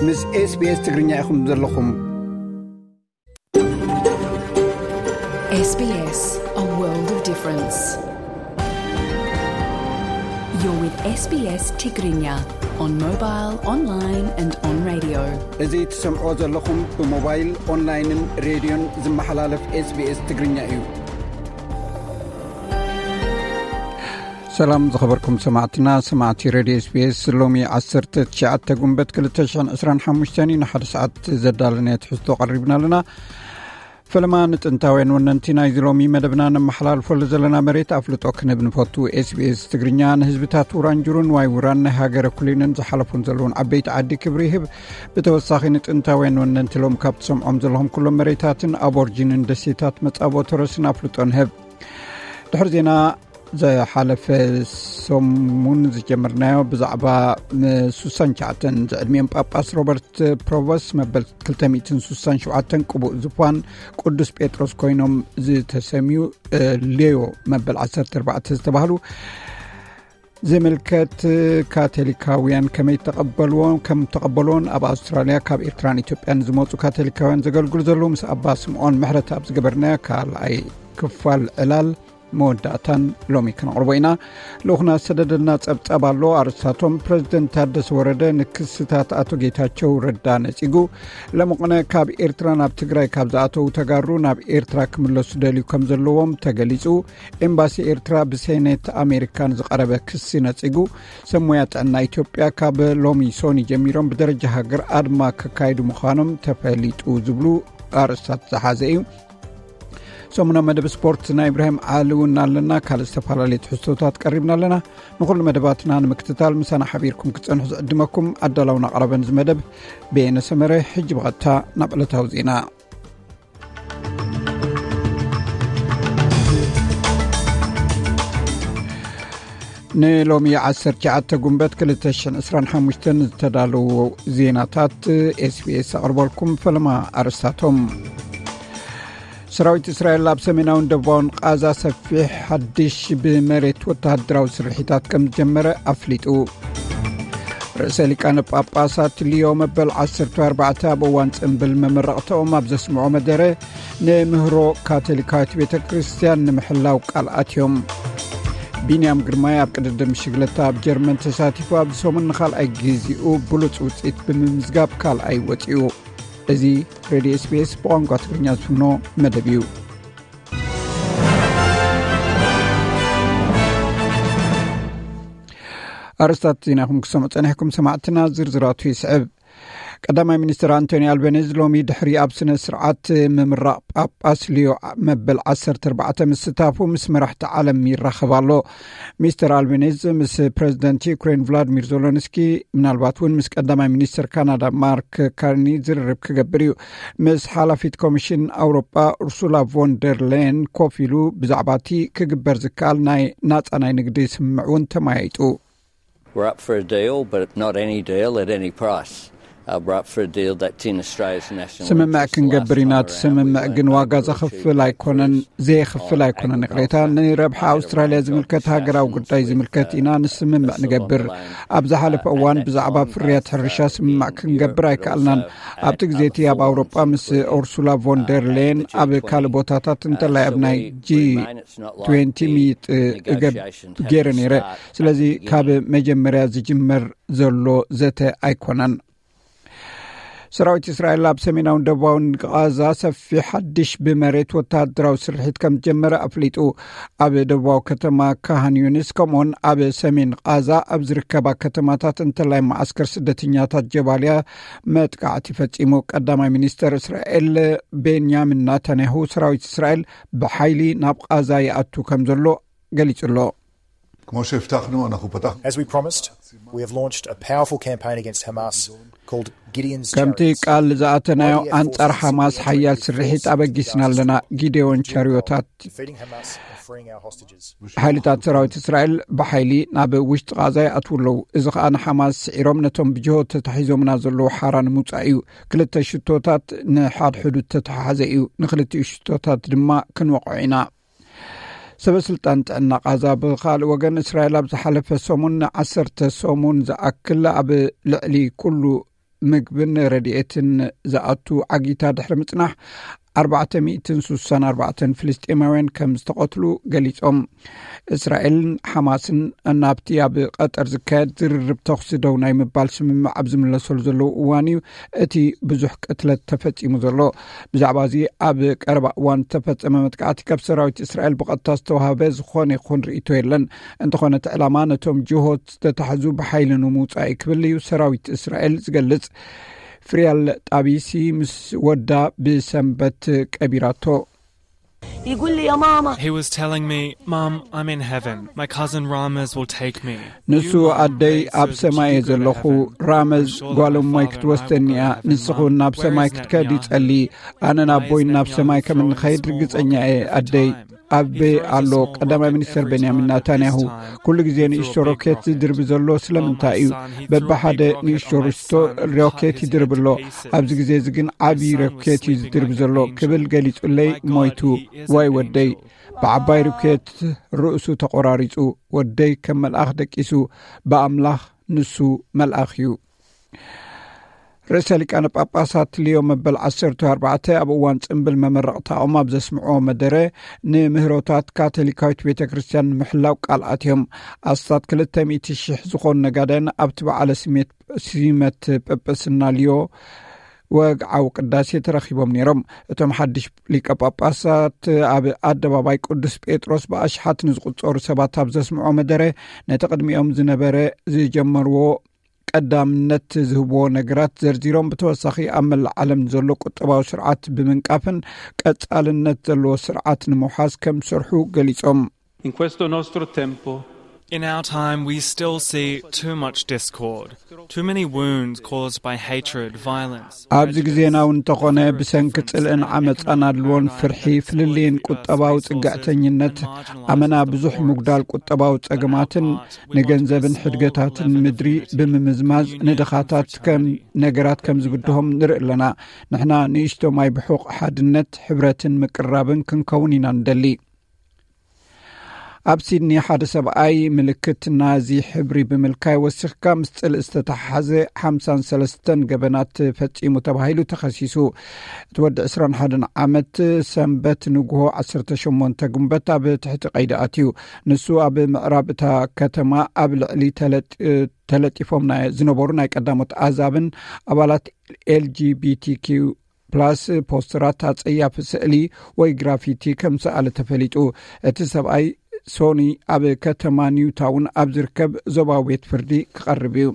ምስ SBS ትግርኛ ኢኹም ዘለኹም። S B S, a world of difference. You're with S B S Tigrinya on mobile, online and on radio. እዚ ትሰምዖ ዘለኹም ብሞባይል፣ ኦንላይንን ሬድዮን ዝመሓላለፍ SBS ትግርኛ እዩ። ሰላም ዝኸበርኩም ሰማዕትና፣ ሰማዕቲ ሬድዮ SBS። ሎሚ ዓሰርተ ትሽዓተ ጉንበት ክልተ ሽሕን ዕስራን ሓሙሽተን እዩ። ንሓደ ሰዓት ዘዳለናዮ ትሕዝቶ ቀሪብና ኣለና። ፈለማ ንጥንታውያን ወነንቲ ናይዚ ሎሚ መደብና ነመሓላልፈሉ ዘለና መሬት ኣፍልጦ ክንህብ ንፈቱ። SBS ትግርኛ ንህዝብታት ውራንጁሩን ዋይ ውራን ናይ ሃገረ ኩሊንን ዝሓለፉን ዘለውን ዓበይቲ ዓዲ ክብሪ ይህብ። ብተወሳኺ ንጥንታውያን ወነንቲ ሎም ካብ ትሰምዖም ዘለኹም ኩሎም መሬታትን ኣቦርጂንን ደሴታት መጻብኦ ተረስን ኣፍልጦ ንህብ። ድሕሪ ዜና ዝሓለፈ ሰሙን ዝጀመርናዮ ብዛዕባ ን ሱሳን ቻዕተን ዝዕድሚኦም ጳጳስ ሮበርት ፕሮቨስ መበል ክልተ ሚእትን ሱሳን ሸውዓተን ቅቡእ ዝፋን ቅዱስ ጴጥሮስ ኮይኖም ዝተሰምዩ ሌዮ መበል ዓሰርተ ኣርባዕተ ዝተባህሉ ዝምልከት ካቶሊካውያን ከመይ ተቐበልዎ ከም ተቐበልዎን ኣብ ኣውስትራልያ ካብ ኤርትራን ኢትዮጵያን ዝመፁ ካቶሊካውያን ዘገልግሉ ዘለዉ ምስ ኣባ ስምዖን ምሕረት ኣብ ዝገበርናዮ ካልኣይ ክፋል ዕላል መወዳእታን ሎሚ ክነቕርቦ ኢና። ልኡኽና ዝሰደደልና ጸብጻብ ኣሎ። ኣርእስታቶም፣ ፕረዚደንት ታደሰ ወረደ ንክስታት ኣቶ ጌታቸው ረዳ ነጺጉ፣ ለመቕነ ካብ ኤርትራ ናብ ትግራይ ካብ ዝኣተዉ ተጋሩ ናብ ኤርትራ ክምለሱ ደልዩ ከም ዘለዎም ተገሊጹ፣ ኤምባሲ ኤርትራ ብሴኔት ኣሜሪካ ንዝቐረበ ክሲ ነጺጉ፣ ሰብ ሞያ ጥዕና ኢትዮጵያ ካብ ሎሚ ሶኒ ጀሚሮም ብደረጃ ሃገር ኣድማ ከካይዱ ምዃኖም ተፈሊጡ ዝብሉ ኣርእስታት ዝሓዘ እዩ። ሰሙናዊ መደብ ስፖርት ናይ ኢብራሂም ዓሊ እውን ኣለና። ካልእ ዝተፈላለዩ ትሕዝቶታት ቀሪብና ኣለና። ንኹሉ መደባትና ንምክትታል ምሳና ሓቢርኩም ክትጸንሑ ዝዕድመኩም ኣዳላውን ኣቕራብን እዚ መደብ በየነ ሰመረ። ሕጂ ብቐጥታ ናብ ዕለታዊ ዜና። ንሎሚ ዓሰርተ ትሽዓተ ጉንበት ክልተ ሽሕን ዕስራን ሓሙሽተን ዝተዳለዉ ዜናታት SBS ኣቕርበልኩም። ፈለማ ኣርእስታቶም። ሰራዊት እስራኤል ኣብ ሰሜናውን ደቡባውን ቃዛ ሰፊሕ ሓድሽ ብመሬት ወተሃደራዊ ስርሒታት ከም ዝጀመረ ኣፍሊጡ። ርእሰ ሊቃነ ጳጳሳት ሊዮ መበል ዓሰርተ ኣርባዕተ ኣብ እዋን ጽምብል መመረቕተኦም ኣብ ዘስምዖ መደረ፣ ንምህሮ ካቶሊካዊት ቤተ ክርስቲያን ንምሕላው ቃል ኣትዮም። ቢንያም ግርማይ ኣብ ቅድድም ሽግለታ ኣብ ጀርመን ተሳቲፉ ኣብዚ ሰሙን ንኻልኣይ ግዜኡ ብሉጽ ውጽኢት ብምምዝጋብ ካልኣይ ወጺኡ። እዚ ሬድዮ SBS ብቋንቋ ትግርኛ ዝፍኖ መደብ እዩ። ኣርእስታት ዜናኹም ክሰምዑ ጸኒሕኩም ሰማዕትና፣ ዝርዝራቱ ይስዕብ። ቀዳማይ ሚኒስትር ኣንቶኒ ኣልበኔዝ ሎሚ ድሕሪ ኣብ ስነ ስርዓት ምምራቕ ጳጳስ ሊዮ መበል ዓሰርተ ኣርባዕተ ምስታፉ ምስ መራሕቲ ዓለም ይራኸብ ኣሎ። ሚስተር ኣልቤኒዝ ምስ ፕረዚደንት ዩክሬን ቭላድሚር ዞሎንስኪ፣ ምናልባት እውን ምስ ቀዳማይ ሚኒስተር ካናዳ ማርክ ካርኒ ዝርርብ ክገብር እዩ። ምስ ሓላፊት ኮሚሽን ኣውሮጳ ኡርሱላ ቮን ደር ሌየን ኮፍ ኢሉ ብዛዕባ እቲ ክግበር ዝከኣል ናይ ናጻ ናይ ንግዲ ስምምዕ እውን ተመያይጡ። We're up for a deal, but not any deal at any price. Uh, we're up for a deal that's in Australia's national ስምምዕ interest. ክንገብር ኢና። እቲ ስምምዕ ግን ዋጋ ዘኽፍል ኣይኮነን፣ ዘየኽፍል ኣይኮነን። ይቕሬታ፣ ንረብሓ ኣውስትራልያ ዝምልከት ሃገራዊ ጉዳይ ዝምልከት ኢና ንስምምዕ ንገብር። ኣብ ዝሓለፈ እዋን ብዛዕባ ፍርያት ሕርሻ ስምምዕ ክንገብር ኣይከኣልናን። ኣብቲ ግዜ እቲ ኣብ ኣውሮጳ ምስ ኡርሱላ ቮን ደር ሌየን ኣብ ካልእ ቦታታት እንተላይ ኣብ ናይ ጂ ትዌንቲ ምይጥ እገብ ገይረ ነይረ። ስለዚ ካብ መጀመርያ ዝጅመር ዘሎ ዘተ ኣይኮነን። ሰራዊት እስራኤል ኣብ ሰሜናውን ደቡባውን ቃዛ ሰፊሕ ሓድሽ ብመሬት ወተሃደራዊ ስርሒት ከም ዝጀመረ ኣፍሊጡ። ኣብ ደቡባዊ ከተማ ካሃን ዩኒስ ከምኡውን ኣብ ሰሜን ቃዛ ኣብ ዝርከባ ከተማታት እንተላይ መዓስከር ስደተኛታት ጀባልያ መጥቃዕቲ ፈጺሙ። ቀዳማይ ሚኒስተር እስራኤል ቤንያሚን ናታንያሁ ሰራዊት እስራኤል ብሓይሊ ናብ ቃዛ ይኣቱ ከም ዘሎ ገሊጹ ኣሎ። כמו שהבטחנו, אנחנו פתחנו. As we promised, we have launched a powerful campaign against Hamas called Gideon's ከምቲ Chariots. ቃል ዝኣተናዮ ኣንጻር ሓማስ ሓያል ስርሒት ኣበጊስና ኣለና። ጊዴዎን ቻርዮታት። Defeating Hamas and freeing our hostages. ሓይልታት ሰራዊት እስራኤል ብሓይሊ ናብ ውሽጢ ቃዛ ይኣትዉ ኣለዉ። እዚ ኸኣ ንሓማስ ስዒሮም ነቶም ብጅሆ ተታሒዞምና ዘለዉ ሓራ ንምውጻእ እዩ። ክልተ ሽቶታት ንሓድሕዱ እተተሓሓዘ እዩ። ንክልቲኡ ሽቶታት ድማ ክንወቕዖ ኢና። ሰበ ስልጣን ጥዕና ቃዛ ብኻልእ ወገን፣ እስራኤል ኣብ ዝሓለፈ ሰሙን ንዓሰርተ ሰሙን ዝኣክል ኣብ ልዕሊ ኩሉ ምግብን ረድኤትን ዝኣቱ ዓጊታ ድሕሪ ምጽናሕ፣ ኣርባዕተ ሚእትን ስሳን ኣርባዕተን ፍልስጤማውያን ከም ዝተቐትሉ ገሊጾም። እስራኤልን ሓማስን ናብቲ ኣብ ቀጠር ዝካየድ ዝርርብ ተኹሲ ደው ናይ ምባል ስምምዕ ኣብ ዝምለሰሉ ዘለዉ እዋን እዩ እቲ ብዙሕ ቅትለት ተፈጺሙ ዘሎ። ብዛዕባ እዚ ኣብ ቀረባ እዋን ዝተፈጸመ መጥቃዕቲ ካብ ሰራዊት እስራኤል ብቐጥታ ዝተዋህበ ዝኾነ ይኹን ርእይቶ የለን። እንተኾነ እቲ ዕላማ ነቶም ጅሆት ዝተታሕዙ ብሓይሊ ንምውጻእ እዩ ክብል እዩ ሰራዊት እስራኤል ዝገልጽ። ፍሪያል ጣቢሲ ምስ ወዳ ብሰንበት ቀቢራቶ። يقول لي يا ماما He was telling me, "Mum, I'm in heaven. My cousin Ramas will take me." ንሱ ኣደይ ኣብ ሰማይ እየ ዘለኹ፣ ራመዝ ጓል እሞይ ክትወስደኒ እያ፣ ንስኹን ናብ ሰማይ ክትከድ ይጸሊ፣ ኣነ ናብ ቦይን ናብ ሰማይ ከም እንኸይድ ርግጸኛ እየ። ኣደይ ኣብ ኣሎ ቀዳማይ ሚኒስተር ቤንያሚን ናታንያሁ ኩሉ ግዜ ንእሽቶ ሮኬት ዝድርቢ ዘሎ ስለምንታይ እዩ? በብሓደ ንእሽቶ ርሽቶ ሮኬት ይድርብ ኣሎ። ኣብዚ ግዜ እዚ ግን ዓቢ ሮኬት እዩ ዝድርብ ዘሎ ክብል ገሊጹለይ ሞይቱ። ዋይ ወደይ፣ ብዓባይ ሮኬት ርእሱ ተቆራሪጹ። ወደይ ከም መልኣኽ ደቂሱ። ብኣምላኽ ንሱ መልኣኽ እዩ። ርእሰ ሊቃነ ጳጳሳት ሊዮ መበል ዓሰርተ ኣርባዕተ ኣብ እዋን ጽምብል መመረቕታኦም ኣብ ዘስምዕዎ መደረ፣ ንምህሮታት ካቶሊካዊት ቤተ ክርስቲያን ንምሕላው ቃል ኣትዮም። ኣስታት ክልተ ሚእቲ ሽሕ ዝኾኑ ነጋዳያን ኣብቲ በዓለ ስሜት ሲመት ጳጳስና ሊዮ ወግዓዊ ቅዳሴ ተረኺቦም ነይሮም። እቶም ሓድሽ ሊቀ ጳጳሳት ኣብ ኣደባባይ ቅዱስ ጴጥሮስ ብኣሽሓት ንዝቁጸሩ ሰባት ኣብ ዘስምዖ መደረ፣ ነቲ ቅድሚኦም ዝነበረ ዝጀመርዎ ቀዳምነት ዝህብዎ ነገራት ዘርዚሮም፣ ብተወሳኺ ኣብ መላእ ዓለም ዘሎ ቁጠባዊ ስርዓት ብምንቃፍን ቀጻልነት ዘለዎ ስርዓት ንምውሓስ ከም ዝሰርሑ ገሊጾም። In questo nostro tempo In our time, we still see too much discord, too many wounds caused by hatred, violence. ኣብዚ ግዜና እውን እንተኾነ፣ ብሰንኪ ጽልእን ዓመጻን ኣድልዎን ፍርሒ፣ ፍልልይን ቁጠባዊ ጽግዕተኝነት፣ ኣመና ብዙሕ ምጉዳል ቁጠባዊ ጸገማትን ንገንዘብን ሕድገታትን ምድሪ ብምምዝማዝ ንድኻታት ከም ነገራት ከም ዝብድሆም ንርኢ ኣለና። ንሕና ንእሽቶ ማይ ብሑቕ ሓድነት፣ ሕብረትን ምቅርራብን ክንከውን ኢና ንደሊ። ኣብ ሲድኒ ሓደ ሰብኣይ ምልክት ናዚ ሕብሪ ብምልካይ ወሲኽካ ምስ ጽልእ ዝተተሓሓዘ ሓምሳን ሰለስተን ገበናት ፈጺሙ ተባሂሉ ተኸሲሱ። እቲ ወዲ ዕስራን ሓደን ዓመት ሰንበት ንግሆ ዓሰርተ ሸሞንተ ግንቦት ኣብ ትሕቲ ቀይዲ ኣትዩ። ንሱ ኣብ ምዕራብ እታ ከተማ ኣብ ልዕሊ ተለጢ-፣ ተለጢፎም ናይ ዝነበሩ ናይ ቀዳሞት ኣዛብን ኣባላት ኤልጂቢቲኪዩ ፕላስ ፖስተራት ኣጸያፊ ስእሊ ወይ ግራፊቲ ከም ሰኣለ ተፈሊጡ። እቲ ሰብኣይ ሶኒ ኣብ ከተማ ኒውታውን ኣብ ዝርከብ ዞባዊ ቤት ፍርዲ ክቐርብ እዩ።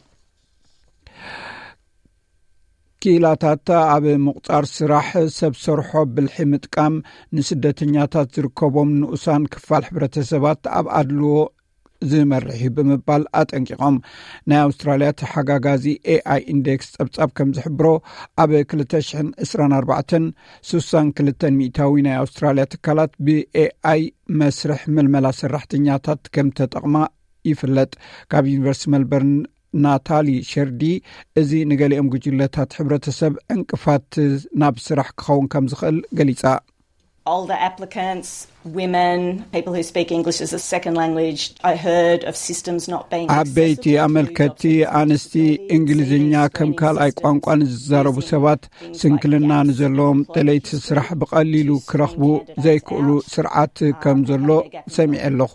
ክኢላታት ኣብ ምቑጻር ስራሕ ሰብ ሰርሖ ብልሒ ምጥቃም ንስደተኛታት ዝርከቦም ንኡሳን ክፋል ሕብረተሰባት ኣብ ኣድልዎ ዝመርሕ እዩ ብምባል ኣጠንቂቖም። ናይ ኣውስትራልያ ተሓጋጋዚ ኤኣይ ኢንዴክስ ጸብጻብ ከም ዝሕብሮ፣ ኣብ ክልተ ሽሕን ዕስራን ኣርባዕተን፣ ስሳን ክልተን ሚእታዊ ናይ ኣውስትራልያ ትካላት ብኤኣይ መስርሕ ምልመላ ሰራሕተኛታት ከም ተጠቕማ ይፍለጥ። ካብ ዩኒቨርሲቲ መልበርን ናታሊ ሸርዲ፣ እዚ ንገሊኦም ጉጅለታት ሕብረተሰብ ዕንቅፋት ናብ ስራሕ ክኸውን ከም ዝኽእል ገሊጻ። Older applicants, women, people who speak English as a second language. I heard of systems not being ዓበይቲ ኣመልከቲ፣ ኣንስቲ፣ እንግሊዝኛ ከም ካልኣይ ቋንቋ ንዝዛረቡ ሰባት፣ ስንክልና ንዘለዎም ደለይቲ ስራሕ ብቐሊሉ ክረኽቡ ዘይክእሉ ስርዓት ከም ዘሎ ሰሚዐ ኣለኹ።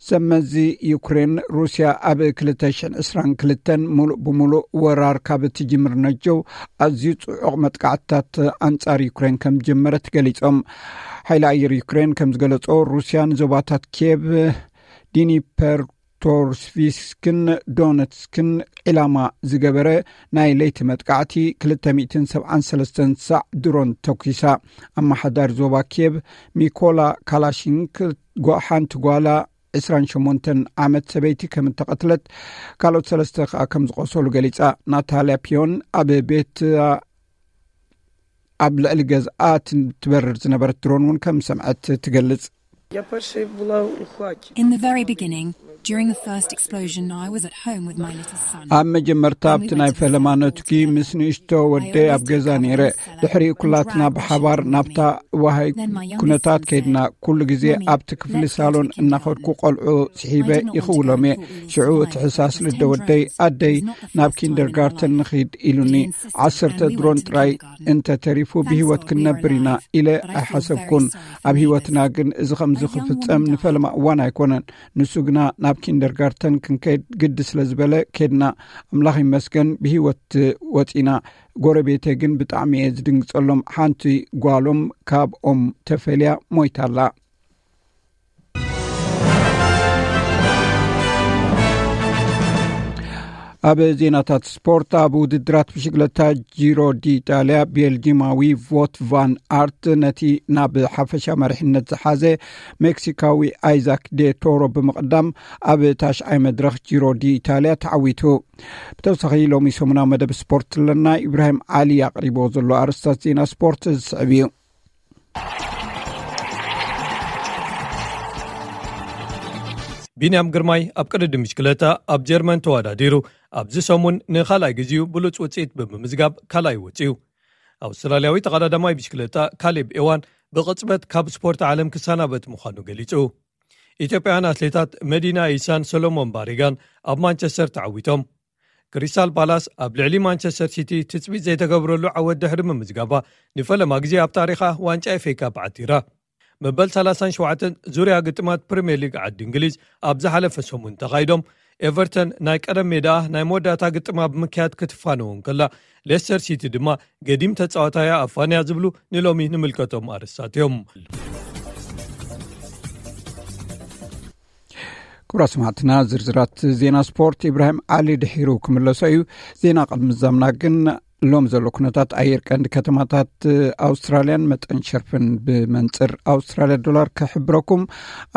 ሰመዚ ዩክሬን፣ ሩስያ ኣብ ክልተ ሽሕን ዕስራን ክልተን ሙሉእ ብሙሉእ ወራር ካብ እትጅምር ነጀው ኣዝዩ ጽዑቕ መጥቃዕትታት ኣንጻር ዩክሬን ከም ዝጀመረት ገሊጾም። ሓይሊ ኣየር ዩክሬን ከም ዝገለጾ፣ ሩስያ ንዞባታት ኪየቭ፣ ዲኒፐርቶርስቪስክን ዶነትስክን ዒላማ ዝገበረ ናይ ለይቲ መጥቃዕቲ ክልተ ሚእትን ሰብዓን ሰለስተን ሳዕ ድሮን ተኲሳ። ኣመሓዳሪ ዞባ ኪየቭ ሚኮላ ካላሽንክ፣ ጓ-፣ ሓንቲ ጓላ ዕስራን ሸሞንተን ዓመት ሰበይቲ ከም እተቐትለት፣ ካልኦት ሰለስተ ከኣ ከም ዝቆሰሉ ገሊጻ። ናታልያ ፒዮን ኣብ ቤት፣ ኣብ ልዕሊ ገዝኣ ትበርር ዝነበረት ድሮን እውን ከም ሰምዐት ትገልጽ። In the very beginning, during the first explosion, I was at home with my little son. ኣብ መጀመርታ ኣብቲ ናይ ፈለማ ነቱኪ ምስ ንእሽቶ ወደይ ኣብ ገዛ ነይረ። ድሕሪኡ ኩላትና ብሓባር ናብታ ዋሃይ ኩነታት ከይድና። ኩሉ ግዜ ኣብቲ ክፍሊ ሳሎን እናኸድኩ ቆልዑ ስሒበ ይኽውሎም እየ። ሽዑ እቲ ሕሳስ ልደ ወደይ፣ ኣደይ፣ ናብ ኪንደርጋርተን ንኺድ ኢሉኒ። ዓሰርተ ድሮን ጥራይ እንተተሪፉ ብህይወት ክንነብር ኢና ኢለ ኣይሓሰብኩን። ኣብ ህይወትና ግን እዚ ከምዚ ክፍጸም ንፈለማ እዋን ኣይኮነን። ንሱ ግና ናብ ኪንደርጋርተን ክንከይድ ግዲ ስለ ዝበለ ከድና። ኣምላኽ ይመስገን ብህይወት ወጺና። ጎረቤተይ ግን ብጣዕሚ እየ ዝድንግጸሎም። ሓንቲ ጓሎም ካብኦም ተፈልያ ሞይታላ። ኣብ ዜናታት ስፖርት፣ ኣብ ውድድራት ብሽግለታ ጂሮ ዲኢጣልያ ቤልጂማዊ ቮት ቫን ኣርት ነቲ ናብ ሓፈሻ መሪሕነት ዝሓዘ ሜክሲካዊ ኣይዛክ ዴ ቶሮ ብምቕዳም ኣብ ታሽዓይ መድረኽ ጂሮ ዲኢጣልያ ተዓዊቱ። ብተወሳኺ ሎሚ ሰሙናዊ መደብ ስፖርት ኣለና። ኢብራሂም ዓሊ ኣቕሪቦ ዘሎ ኣርስታት ዜና ስፖርት ዝስዕብ እዩ። ቢንያም ግርማይ ኣብ ቅድድም ብሽክለታ ኣብ ጀርመን ተወዳዲሩ ኣብዚ ሰሙን ንኻልኣይ ግዜኡ ብሉጽ ውጽኢት ብምምዝጋብ ካልኣይ ወጺኡ። ኣውስትራልያዊ ተቐዳዳማይ ብሽክለታ ካሌብ ኤዋን ብቕጽበት ካብ ስፖርት ዓለም ክሰናበት ምዃኑ ገሊጹ። ኢትዮጵያውያን ኣትሌታት መዲና ኢሳን ሰሎሞን ባሪጋን ኣብ ማንቸስተር ተዓዊቶም። ክሪስታል ፓላስ ኣብ ልዕሊ ማንቸስተር ሲቲ ትጽቢት ዘይተገብረሉ ዓወት ድሕሪ ምምዝጋባ ንፈለማ ግዜ ኣብ ታሪኻ ዋንጫ ኤፍኤ ካፕ ዓቲራ። መበል ሰላሳን ሸውዓተን ዙርያ ግጥማት ፕሪምየር ሊግ ዓዲ እንግሊዝ ኣብ ዝሓለፈ ሰሙን ተኻይዶም ኤቨርተን ናይ ቀደም ሜዳ ናይ መወዳእታ ግጥማ ብምክያድ ክትፋነው እንከላ ሌስተር ሲቲ ድማ ገዲም ተጻዋታያ ኣፋንያ ዝብሉ ንሎሚ ንምልከቶም ኣርስታት እዮም። ክቡራ ስማዕትና ዝርዝራት ዜና ስፖርት ኢብራሂም ዓሊ ድሒሩ ክምለሶ እዩ። ዜና ቅድሚ ዛምና ግን ሎም ዘሎ ኩነታት ኣየር ቀንዲ ከተማታት ኣውስትራልያን መጠን ሸርፍን ብመንፅር ኣውስትራልያ ዶላር ክሕብረኩም።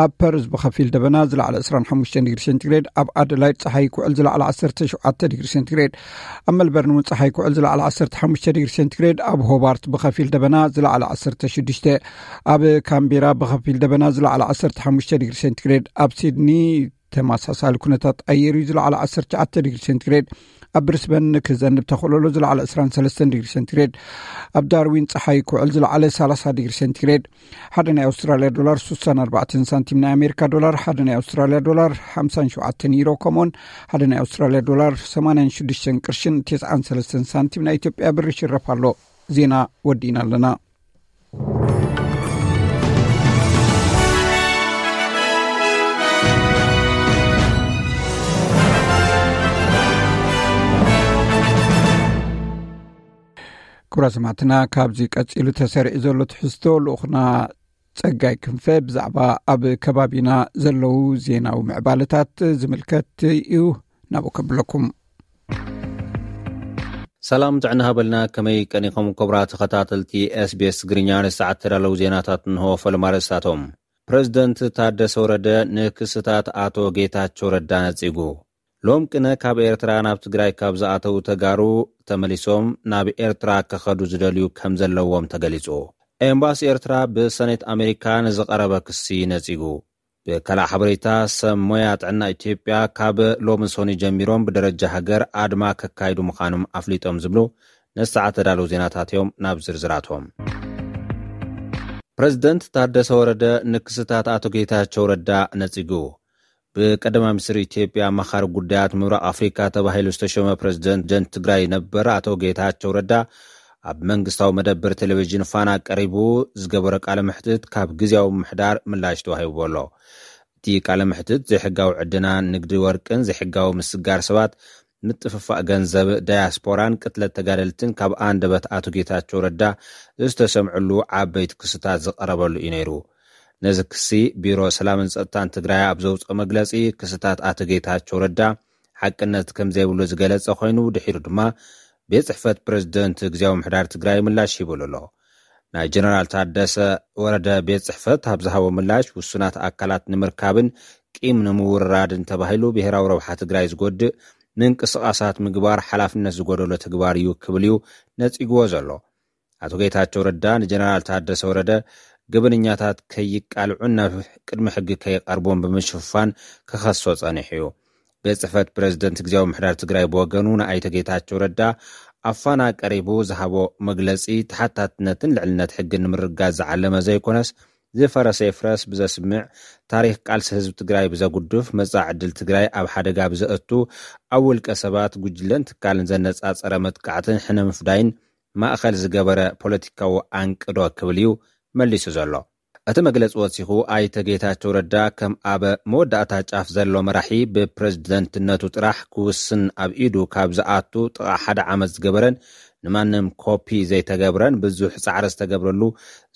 ኣብ ፐርዝ ብኸፊል ደበና ዝለዓለ ዕስራን ሓሙሽተን ዲግሪ ሴንቲግሬድ፣ ኣብ ኣደላይድ ፀሓይ ክውዕል ዝለዓለ ዓሰርተ ሸውዓተ ዲግሪ ሴንቲግሬድ፣ ኣብ መልበርን እውን ፀሓይ ክውዕል ዝለዓለ ዓሰርተ ሓሙሽተ ዲግሪ ሴንቲግሬድ፣ ኣብ ሆባርት ብኸፊል ደበና ዝለዓለ ዓሰርተ ሽዱሽተ፣ ኣብ ካምቤራ ብኸፊል ደበና ዝለዓለ ዓሰርተ ሓሙሽተ ዲግሪ ሴንቲግሬድ፣ ኣብ ሲድኒ ተመሳሳሊ ኩነታት ኣየር እዩ ዝለዓለ ዓሰርተ ትሽዓተ ዲግሪ ሴንቲግሬድ፣ ኣብ ብሪስበን ክዘንብ ተኽእሎ ዝለዓለ ዕስራን ሰለስተን ዲግሪ ሴንቲግሬድ፣ ኣብ ዳርዊን ፀሓይ ክውዕል ዝለዓለ ሰላሳ ዲግሪ ሴንቲግሬድ። ሓደ ናይ ኣውስትራልያ ዶላር ስሳን ኣርባዕተን ሳንቲም፣ ናይ ኣሜሪካ ዶላር ሓደ ናይ ኣውስትራልያ ዶላር ሓምሳን ሸውዓተን ዩሮ፣ ከምኡውን ሓደ ናይ ኣውስትራልያ ዶላር ሰማንያን ሽዱሽተን ቅርሽን ተስዓን ሰለስተን ሳንቲም ናይ ኢትዮጵያ ብር ይሽረፍ ኣሎ። ዜና ወዲእና ኣለና። ክቡራ ሰማዕትና፣ ካብዚ ቀጺሉ ተሰሪዑ ዘሎ ትሕዝቶ ልኡኽና ጸጋይ ክንፈ ብዛዕባ ኣብ ከባቢና ዘለዉ ዜናዊ ምዕባለታት ዝምልከት እዩ። ናብኡ ከብለኩም። ሰላም ጥዕና ሃበልና። ከመይ ቀኒኹም ክቡራት ተኸታተልቲ ኤስቢኤስ ትግርኛ? ንሰዓት ተዳለዉ ዜናታት እንሆ። ፈለማ ርእስታቶም። ፕረዚደንት ታደሰ ወረደ ንክስታት ኣቶ ጌታቸው ረዳ ነጺጉ። ሎም ቅነ ካብ ኤርትራ ናብ ትግራይ ካብ ዝኣተዉ ተጋሩ ተመሊሶም ናብ ኤርትራ ክኸዱ ዝደልዩ ከም ዘለዎም ተገሊጹ። ኤምባሲ ኤርትራ ብሰኔት ኣሜሪካ ንዝቐረበ ክሲ ነጺጉ። ብካልእ ሓበሬታ፣ ሰብ ሞያ ጥዕና ኢትዮጵያ ካብ ሎሚ ሰኑይ ጀሚሮም ብደረጃ ሃገር ኣድማ ከካይዱ ምዃኖም ኣፍሊጦም ዝብሉ ንሰዓት ተዳለዉ ዜናታት እዮም። ናብ ዝርዝራቶም። ፕረዚደንት ታደሰ ወረደ ንክስታት ኣቶ ጌታቸው ረዳ ነጺጉ። ብቀዳማይ ሚኒስትር ኢትዮጵያ ኣማኻሪ ጉዳያት ምብራቕ ኣፍሪካ ተባሂሉ ዝተሾመ ፕረዚደንት ትግራይ ነበር ኣቶ ጌታቸው ረዳ ኣብ መንግስታዊ መደብር ቴሌቪዥን ፋና ቀሪቡ ዝገበሮ ቃለ መሕትት ካብ ግዜያዊ ምምሕዳር ምላሽ ተዋሂብዎ ኣሎ። እቲ ቃለ መሕትት ዘይሕጋዊ ዕደና፣ ንግዲ ወርቅን ዘይሕጋዊ ምስጋር ሰባት፣ ምጥፍፋእ ገንዘብ ዳያስፖራን ቅትለት ተጋደልትን ካብ ኣንደበት ኣቶ ጌታቸው ረዳ ዝተሰምዕሉ ዓበይቲ ክስታት ዝቐረበሉ እዩ ነይሩ። ነዚ ክሲ ቢሮ ሰላምን ጸጥታን ትግራይ ኣብ ዘውፅኦ መግለፂ፣ ክስታት ኣቶ ጌታቸው ረዳ ሓቅነት ከም ዘይብሉ ዝገለጸ ኮይኑ፣ ድሒሩ ድማ ቤት ጽሕፈት ፕረዚደንት ግዜያዊ ምሕዳር ትግራይ ምላሽ ሂቡሉ ኣሎ። ናይ ጀነራል ታደሰ ወረደ ቤት ጽሕፈት ኣብ ዝሃቦ ምላሽ፣ ውሱናት ኣካላት ንምርካብን ቂም ንምውርራድን ተባሂሉ ብሄራዊ ረብሓ ትግራይ ዝጎድእ ምንቅስቓሳት ምግባር ሓላፍነት ዝጎደሎ ተግባር እዩ ክብል እዩ ነጺግዎ ዘሎ። ኣቶ ጌታቸው ረዳ ንጀነራል ታደሰ ወረደ ገበነኛታት ከይቃልዑን ናብ ቅድሚ ሕጊ ከይቐርቡን ብምሽፋን ክኸሶ ጸኒሑ እዩ። ቤት ጽሕፈት ፕሬዝደንት ግዜያዊ ምሕዳር ትግራይ ብወገኑ ንኣይተ ጌታቸው ረዳ ኣብ ፋና ቀሪቡ ዝሃቦ መግለጺ፣ ተሓታትነትን ልዕልነት ሕግን ንምርጋጽ ዝዓለመ ዘይኮነስ፣ ዝፈረሰ ይፍረስ ብዘስምዕ፣ ታሪኽ ቃልሲ ህዝቢ ትግራይ ብዘጉድፍ፣ መጻኢ ዕድል ትግራይ ኣብ ሓደጋ ብዘእቱ፣ ኣብ ውልቀ ሰባት፣ ጉጅለን ትካልን ዘነጻጸረ መጥቃዕትን ሕነ ምፍዳይን ማእኸል ዝገበረ ፖለቲካዊ ኣንቅዶ ክብል እዩ መሊሱ ዘሎ። እቲ መግለጺ ወሲኹ፣ ኣይተ ጌታቸው ረዳ ከም ኣብ መወዳእታ ጫፍ ዘሎ መራሒ፣ ብፕሬዝደንትነቱ ጥራሕ ክውስን ኣብ ኢዱ ካብ ዝኣቱ ጥቓ ሓደ ዓመት ዝገበረን ንማንም ኮፒ ዘይተገብረን ብዙሕ ጻዕሪ ዝተገብረሉ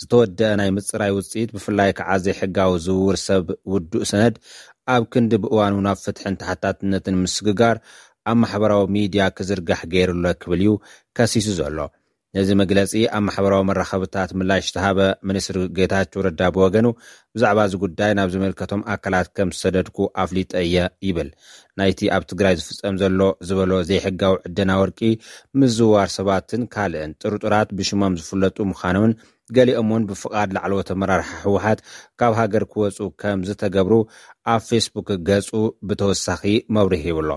ዝተወደአ ናይ ምጽራይ ውጽኢት፣ ብፍላይ ከዓ ዘይሕጋዊ ዝውውር ሰብ ውዱእ ሰነድ ኣብ ክንዲ ብእዋኑ ናብ ፍትሕን ተሓታትነትን ምስግጋር ኣብ ማሕበራዊ ሚድያ ክዝርጋሕ ገይሩሎ ክብል እዩ ከሲሱ ዘሎ። ነዚ መግለጺ ኣብ ማሕበራዊ መራኸብታት ምላሽ ዝተሃበ ሚኒስትሪ ጌታቸው ረዳ ብወገኑ፣ ብዛዕባ እዚ ጉዳይ ናብ ዝመልከቶም ኣካላት ከም ዝሰደድኩ ኣፍሊጠ እየ ይብል። ናይቲ ኣብ ትግራይ ዝፍጸም ዘሎ ዝበሎ ዘይሕጋዊ ዕደና ወርቂ ምዝዋር ሰባትን ካልእን ጥርጡራት ብሽሞም ዝፍለጡ ምዃኖምን፣ ገሊኦም እውን ብፍቓድ ላዕለዎት ኣመራርሓ ህወሓት ካብ ሃገር ክወፁ ከም ዝተገብሩ ኣብ ፌስቡክ ገጹ ብተወሳኺ መብርሂ ሂቡ ኣሎ።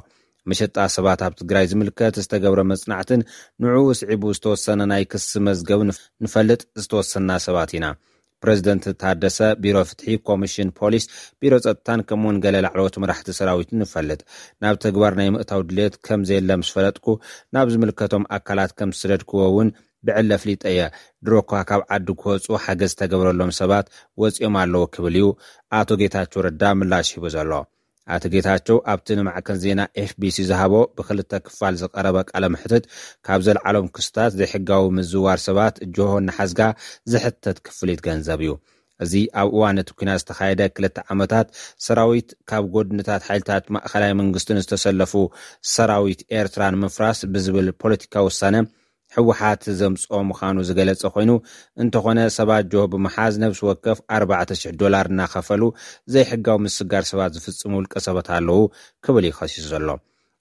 መሸጣ ሰባት ኣብ ትግራይ ዝምልከት ዝተገብረ መጽናዕትን ንዕኡ ስዒቡ ዝተወሰነ ናይ ክሲ መዝገብ ንፍ-፣ ንፈልጥ ዝተወሰና ሰባት ኢና። ፕሬዝደንት ታደሰ፣ ቢሮ ፍትሒ፣ ኮሚሽን ፖሊስ፣ ቢሮ ጸጥታን ከምኡውን ገለ ላዕለዎት መራሕቲ ሰራዊትን ንፈልጥ። ናብ ተግባር ናይ ምእታው ድሌት ከም ዘየለ ምስ ፈለጥኩ፣ ናብ ዝምልከቶም ኣካላት ከም ዝሰደድክዎ እውን ብዕለ ፍሊጠ እየ። ድሮ እኳ ካብ ዓዲ ክወፁ ሓገዝ ዝተገብረሎም ሰባት ወፂኦም ኣለዉ ክብል እዩ ኣቶ ጌታቸው ረዳ ምላሽ ሂቡ ዘሎ። ኣቶ ጌታቸው ኣብቲ ንማዕከን ዜና ኤፍቢሲ ዝሃቦ ብክልተ ክፋል ዝቐረበ ቃለ መሕትት፣ ካብ ዘልዓሎም ክስታት ዘይሕጋዊ ምዝዋር ሰባት፣ ጆሆ እናሓዝጋ ዝሕተት ክፍሊት ገንዘብ እዩ። እዚ ኣብ እዋን እቲ ኲናት ዝተኻየደ ክልተ ዓመታት ሰራዊት ካብ ጎድንታት ሓይልታት ማእኸላይ መንግስትን ዝተሰለፉ ሰራዊት ኤርትራ ንምፍራስ ብዝብል ፖለቲካዊ ውሳነ ህወሓት ዘምጽኦ ምዃኑ ዝገለጸ ኮይኑ፣ እንተኾነ ሰባት ጆሆ ብምሓዝ ነብሲ ወከፍ ኣርባዕተ ሽሕ ዶላር እናኸፈሉ ዘይሕጋዊ ምስጋር ሰባት ዝፍጽሙ ውልቀ ሰባት ኣለዉ ክብል እዩ ከሲሱ ዘሎ።